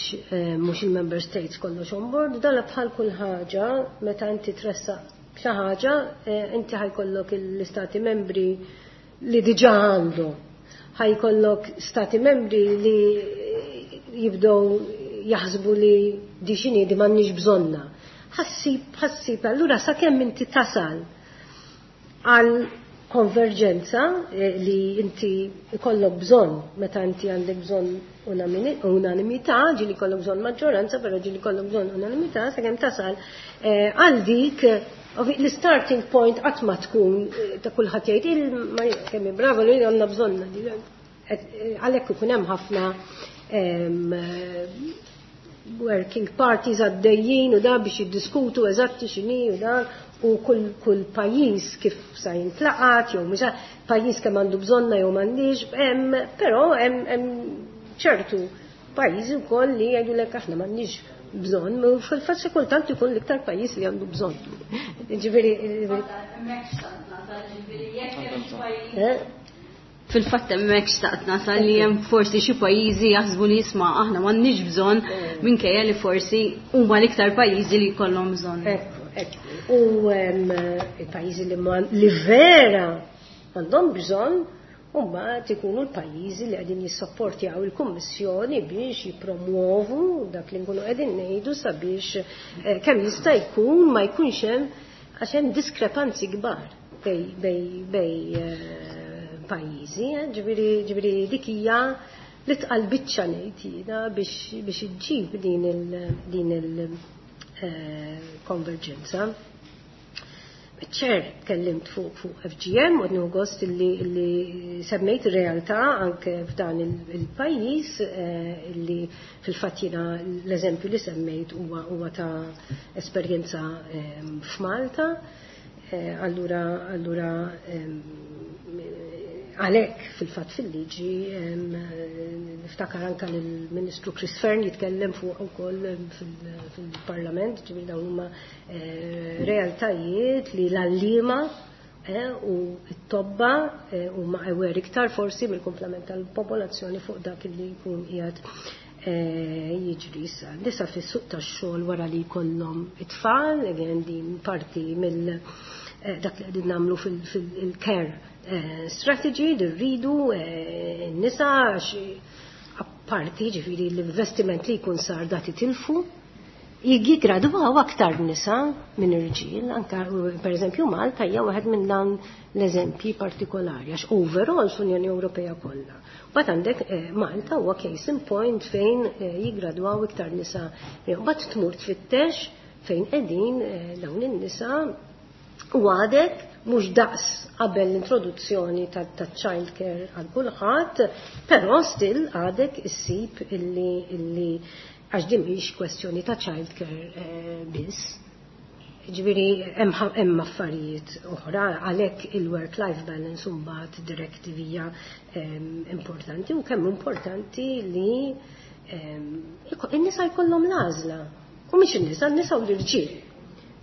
mhux il-member states kollox on board. Dala bħal kull ħaġa, meta inti tressaq xi ħaġa, inti ħa jkollok l-istati membri li diġà għandu. Ħa jkollok stati membri li jibdew jaħsbu li di x'inhi di, m'għandniex bżonna. Ħassib, allura sakemm inti tasal għal konverġenza li inti ikollok bżonn, meta inti għandek bżonn unanimità, ġieli jkollok bżonn maġġoranza, però ġieli jkollok bżonn unanimità, sakemm tasal għal dik l-starting point qatt ma tkun ta' kulħadd jgħid il kemm bravo li għandna bżonn. Għalhekk ikun hemm ħafna working parties għaddejjin u da biex jiddiskutu eżatti x'inhi u dan u kull pajjiż kif sa jintlaqat jew mhux pajjiż kemm għandu bżonna jew m'għandix, hemm però hemm ċertu pajjiżi wkoll li jgħidulek aħna m'għandniex bżonn, u fil-fatt xi kultant ikun l-iktar pajjiż li għandu bżonn. Ġifieri, Fil-fatt hemmhekk xtaqt nasal li hemm forsi xi pajjiżi jaħsbu li jisma' aħna m'għandniex bżonn, minkejja li forsi huma l-iktar pajjiżi li jkollhom bżonn. Ekku. U il-pajjiżi li vera għandhom bżonn huma ikunu l-pajjiżi li qegħdin jissapportjaw il-Kummissjoni biex jippromuovu dak li nkunu qegħdin ngħidu sabiex kemm jista' jkun ma jkunx hemm, għax hemm diskrepanzi kbar bej pajjiżi, ġifieri dik hija li tqal biċċa ngħid jiena biex iġġib din il konverġenza. Ċer, tkellimt fuq FGM u nieħu gost illi semmejt ir-realtà anke f'dan il-pajjiż illi fil-fatt jiena l-eżempju li semmejt huwa ta' esperjenza f'Malta. Allura għalhekk fil-fatt fil-liġi niftakar anka lill-Ministru Chris Fearne jitkellem fuq ukoll fil-Parlament, ġifieri dawn huma realtajiet li l-għalliema u t-tobba huma aware iktar forsi mill-komplement tal-popolazzjoni fuq dak li jkun qiegħed jiġri issa. Nisa fis-suq tax-xogħol wara li jkollhom it-tfal, again din parti mill dak li qegħdin nagħmlu fil-care strategy li rridu n-nisa għax apparti ġifieri l-investiment li jkun sar dat itilfu, jigradwaw aktar nisa minn irġiel, anka per eżempju Malta hija waħed minn dan l-eżempji partikolari għax overall fl-Unjoni Ewropea kollha. Mbagħad għandek Malta huwa case in point fejn jigradwaw iktar nisa. Mbagħad tmur tfittex fejn qegħdin dawn in-nisa u għadek mhux daqs qabel l-introduzzjoni ta' child care għal kulħadd, però still għadek issib illi għax din mhix kwestjoni ta' child care biss. Ġifieri hemm affarijiet oħra, għalhekk il-work-life balance mbagħad directive hija importanti u kemm importanti li in-nisa jkollhom l-għażla. U mhix in-nisa, n-nisa u l-irġiel.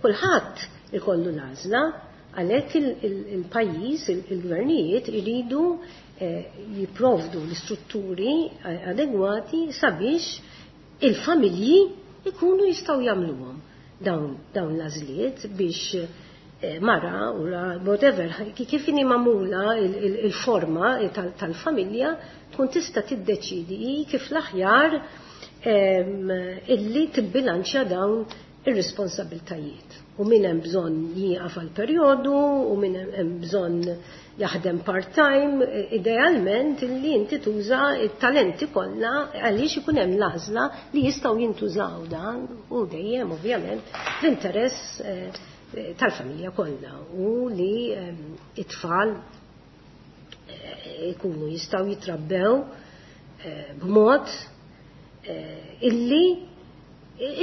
Kulħadd ikollu l-għażla. Għalhekk il-pajjiż, il-gvernijiet iridu jipprovdu l-istrutturi adegwati sabiex il-familji ikunu jistgħu jagħmluhom dawn l-għażliet biex mara u whatever, kif inhi magħmula il-forma tal-familja tkun tista' tiddeċidi kif l-aħjar illi tibbilanċja dawn ir-responsabiltajiet. U min hemm bżonn jieqaf għal perjodu, u min hemm bżonn jaħdem part-time, idealment illi inti tuża t-talenti kollha għaliex ikun hemm l-għażla li jistgħu jintużaw dan u dejjem ovvjament l-interess tal-familja kollha u li it-tfal ikunu jistgħu jitrabbew b'mod illi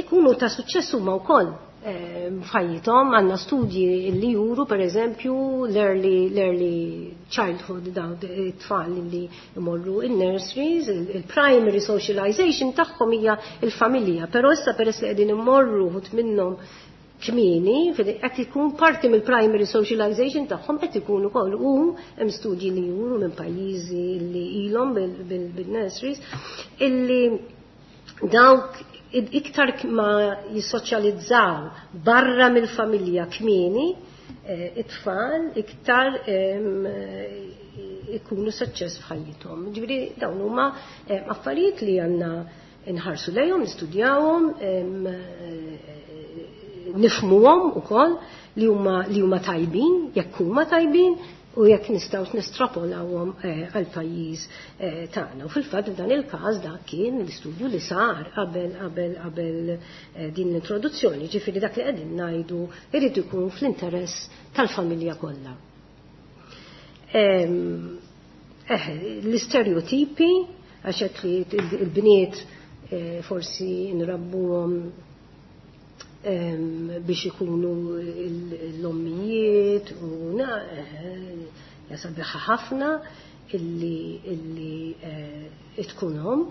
ikunu ta' suċċess huma wkoll f'ħajjithom. Għandna studji li juru pereżempju l-early childhood, dawn it-tfal li jmorru in-nurseries, il-primary socialization tagħhom hija l-familja, però issa peress li qegħdin immorru wħud minnhom kmieni, qed ikun parti mill-primary socialization tagħhom qed ikun ukoll, u hemm studji li juru minn pajjiżi li ilhom bil-nurseries illi dawk iktar ma jissoċjalizzaw barra mill-familja kmieni, it-tfal iktar ikunu suċċess f'ħajjithom. Ġifieri dawn huma affarijiet li għandna nħarsu lejhom, nistudjawhom, nifhmuhom ukoll li huma tajbin, jekk huma tajbin, u jekk nistgħu nestrapolawhom għal pajjiż tagħna. U fil-fatt f'dan il-każ dak kien l-istudju li sar qabel din l-introduzzjoni, ġifieri dak li qegħdin ngħidu irid ikun fl-interess tal-familja kollha. L-istereotipi, għax hekk li l-bniet forsi nrabbuhom biex ikunu l-ommijiet u jasabiħa ħafna illi tkun omm.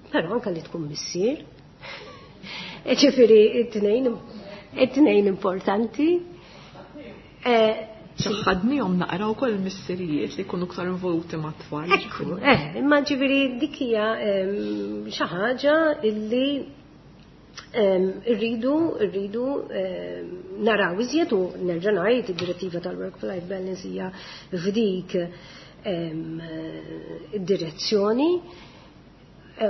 Però anke li tkun missier. Ġifieri it-tnejn importanti. Ċaħadnihom naqra wkoll il-missirijiet li jkunu iktar involuti mat-tfal. Ekku, imma ġifieri dik hija xi ħaġa illi irridu naraw iżjed, u nerġa' ngħid id-direttiva tal-work-life balance hija f'dik id-direzzjoni.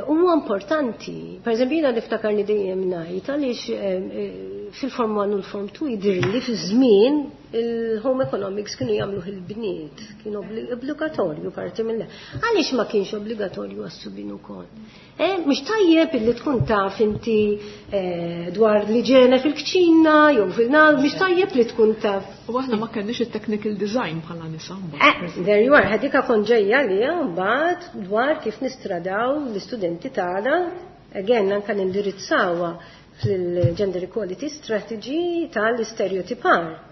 Huwa importanti, per eżempju jiena niftakarni dejjem ngħid għaliex fil-Form 1 u l-Form 2 jidhirli fi żmien il-home economics kienu jagħmluh il-bniet, kien obbligatorju parti mill. Għaliex ma kienx obbligatorju għas-subien ukoll? Mhux tajjeb illi tkun taf inti dwar l-iġene fil-kċina jew fil-nar, mhux tajjeb li tkun taf. U aħna ma kenniex it-technical design bħala nisa mbagħad. There you are, ħadika kont ġejja li mbagħad dwar kif nistradaw l-istudenti tagħna, again anke nindirizzawha fil-Gender Equality Strategy tal-istereotipar.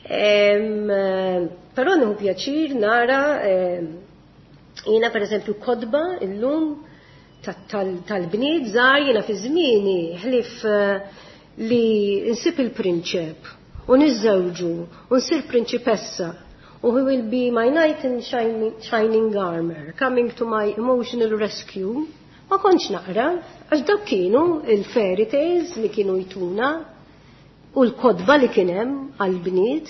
Però nieħu pjaċir nara jiena pereżempju kodba illum tal-bniet żgħar, jiena fi żmieni ħlif li nsib il-prinċep u niżżewġu u nsir prinċipessa u he will be my knight in shining armor coming to my emotional rescue, ma kontx naqra, għax dawk kienu il-fairy tales li kienu jtuna u l-kodba li kien hemm għall-bniet.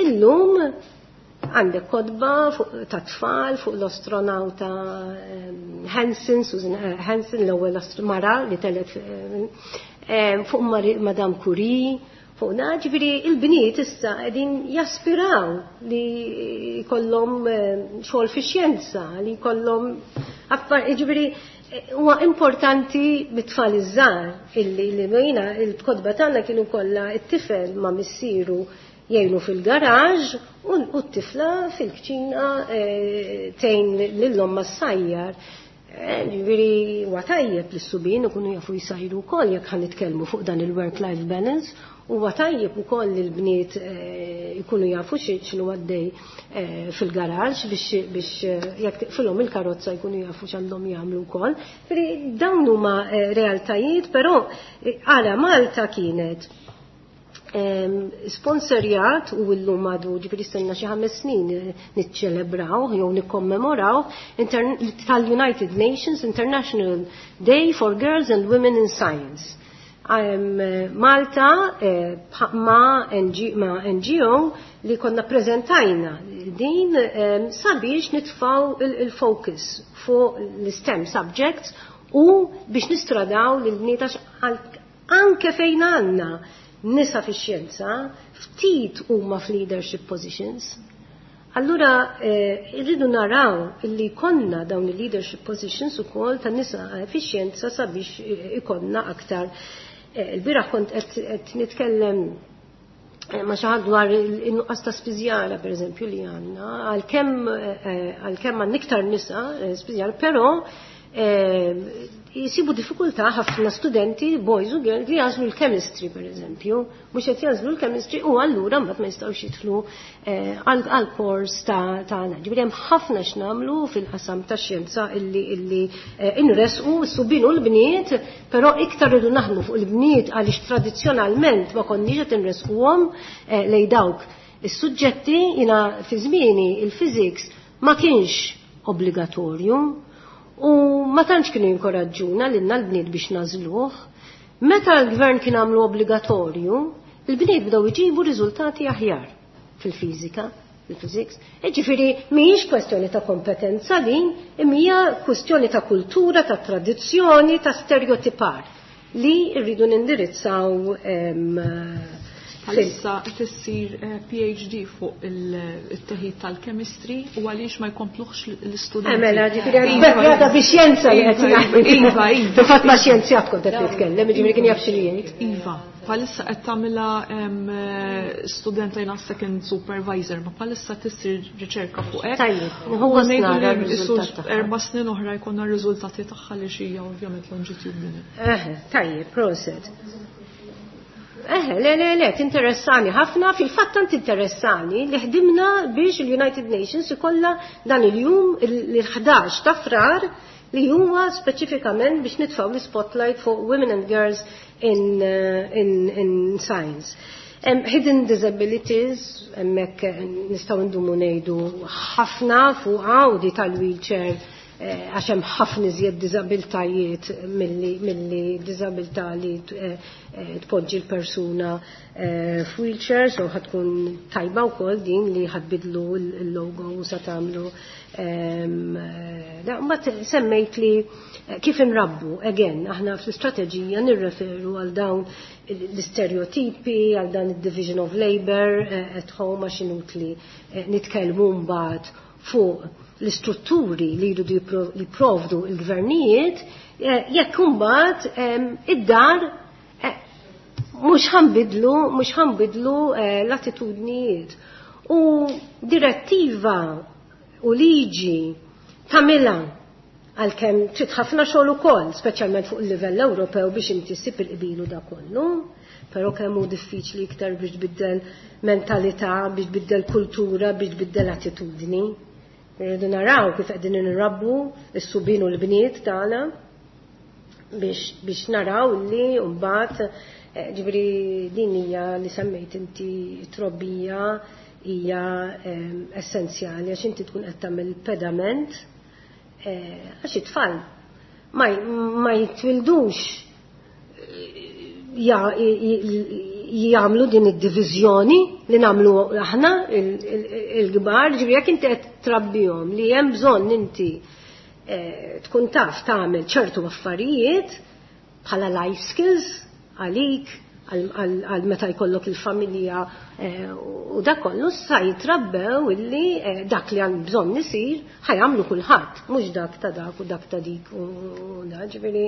Illum għandek kodba ta' tfal fuq l-astronauta Hansen, Susan Hansen, l-ewwel mara li telet fuq Madame Curie, fuq ġifieri il-bniet issa qegħdin jaspiraw li jkollhom xogħol fix-xjenza, li jkollhom ġifieri huwa importanti bit-tfal iż-żgħar illi li jiena il-kodba tagħna kienu kollha t-tifel ma' missieru jgħinu fil-garaġ u t-tifla fil-kċina tgħin lil-omma ssajjar. Ġifieri huwa tajjeb li s-subien ikunu jafu jsajru wkoll jekk ħa nitkellmu fuq dan il-work-life balance, huwa tajjeb ukoll li l-bniet ikunu jafu x'inhu għaddej fil-garaġ biex jekk tiqfilhom il-karozza jkunu jafu x'għandhom jagħmlu wkoll. Ġifieri dawn huma realtajiet, però ara Malta kienet Sponsorjat u llum għadu, ġifieri stenna xi 5 snin niċċelebraw jew nikkommemoraw tal-United Nations International Day for Girls and Women in Science. Malta ma' NGO li konna prezentajna din sabiex nitfaw il-focus fuq l-STEM subjects u biex nistradaw l-bniet anke fejn għandna nisa fix-xjenza ftit huma f'leadership positions. Allura irridu naraw illi konna dawn il-leadership positions ukoll ta' nisa fix-xjenza sabiex ikonna aktar. Il-bieraħ kont qed nitkellem ma' xi ħadd dwar in-nuqqas ta' spiżjara pereżempju li għandna, għalkemm għandna iktar nisa spiżjara, però jisibu diffikultà ħafna studenti, boys u girls, li jagħżlu l-chemistry per eżempju, mhux qed jagħżlu l-chemistry u allura mbagħad ma jistgħux jidħlu għal kors ta' ġifieri hemm ħafna x'nagħmlu fil-qasam tax-xjenza illi inresqu s-subien u l-bniet, però iktar rridu naħdmu fuq il-bniet għaliex tradizzjonalment ma konniex qed inresquhom lejn dawk is-suġġetti. Jiena fi żmieni il-physics ma kienx obbligatorju u ma tantx kienu jinkoraġġuna lilna l-bniet biex nagħżluh. Meta l-gvern kien għamlu obbligatorju, il-bniet bdew iġibu riżultati aħjar fil-fiżika, fil-physics. Ġifieri mhijiex kwestjoni ta' kompetenza din, imma hija kwestjoni ta' kultura, ta' tradizzjoni, ta' stereotipar li rridu nindirizzaw. Bħalissa qed issir PhD fuq il-teħid tal-chemistry u għaliex ma jkompluħx l-istudenti. Mela, ġifieri għadha bi xjenza li qed ngħid. Iva, iva. Fil-fatt ma' xjenzjat kont qed nitkellem, ġifieri kien jaf xi jgħid. Iva, bħalissa qed tagħmilha studenta, jiena second supervisor, ma bħalissa tissir riċerka fuq hekk. Tajjeb, nieħu gost nara r-riżultat tagħha. 4 snin oħra jkollna r-riżultati tagħha li xija ovvjament longitudinal. Tajjeb, proset. Le, le, le, tinteressani ħafna, fil-fatt tant interessani li ħdimna biex il-United Nations ikolla dan il-jum l-11 ta' Frar li huwa speċifikament biex nitfaw l-spotlight fuq women and girls in science. Hidden disabilities, hemmhekk nistgħu ndumu ngħidu ħafna fuqha u di tal-wheelchair, għax hemm ħafna iżjed diżabiltajiet milli diżabilità li tpoġġi l-persuna f'wheelchair, so ħa tkun tajba wkoll din li ħa tbiddlu l-logo u sa tagħmlu. Mbagħad semmejt li kif inrabbu, again, aħna fl-istrateġija nirreferu għal dawn l-stereotipi, għal dan il-division of labor at home, għax inutli nitkellmu mbagħad fuq l-istrutturi li jridu jipprovdu il-gvernijiet, jekk imbagħad id-dar mhux ħa nbiddlu l-attitudnijiet. U direttiva u liġi tagħmilha, għalkemm trid ħafna xogħol ukoll, speċjalment fuq il-livell Ewropew biex inti ssib il-qbilu da kollu, però kemm hu diffiċli iktar biex tbiddel mentalità, biex tbiddel kultura, biex tbiddel attitudni. Rridu naraw kif qegħdin nirabbu s-subien u l-bniet tagħna biex naraw li mbagħad, ġifieri din hija li semmejt inti, trobbija hija essenzjali għax inti tkun qed tagħmel pedament, għax it-tfal ma jitwildux jagħmlu din id-diviżjoni li nagħmlu aħna il-kbar, ġifieri jekk inti qed trabbihom li hemm bżonn inti tkun taf tagħmel ċertu affarijiet bħala life skills għalik għal meta jkollok il-familja u dak kollu, sa jitrabbew illi dak li għand bżonn isir ħa jagħmlu kulħadd, mhux dak ta' dak u dak ta' dik u da, ġifieri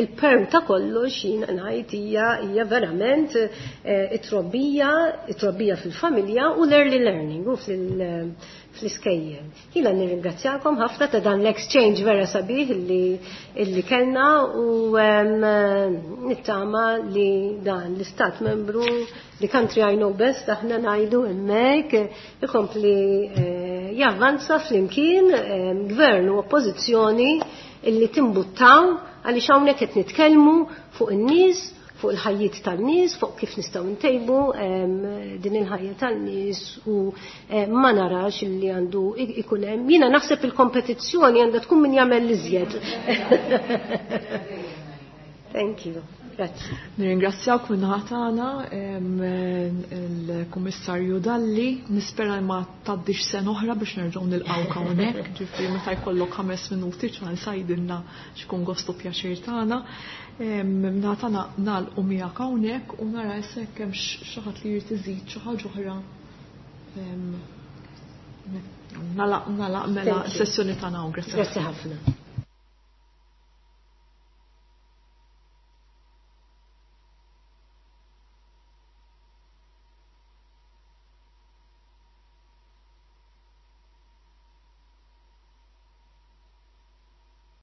il-perm ta' kollox jiena ngħid hija verament it-trobbija, it-trobbija fil-familja u l-early learning u fl-iskejjel. Jiena nirringrazzjakom ħafna ta' dan l-exchange vera sabiħ illi kellna u nittama li dan l-istat membru, the country I know best, aħna ngħidu hemmhekk, ikompli javvanza flimkien gvern u oppożizzjoni illi timbuttaw għaliex hawnhekk qed nitkellmu fuq in-nies. fuq il-ħajjiet tan-nies, fuq kif nistgħu ntejbu din il-ħajja tan-nies u ma narax li għandu ikun hemm. Jiena naħseb il-kompetizzjoni għandha tkun min jagħmel l-iżjed. Thank you. Grazzi. Nirringrazzjawk minn tagħna il-Kummissarju Dalli, nispera ma tgħaddix sena oħra biex nerġgħu nilqgħu hawnhekk, ġifieri meta jkollok 5 minuti ċans għidilna x'ikun gostu pjaċir tagħna. Minnaħa tagħna nagħlqu miegħek hawnhekk u nara issa jekk hemm xi ħadd li jrid iżid xi ħaġa oħra. Nagħlaq mela s-sessjoni tagħna hawn. Grazzi ħafna.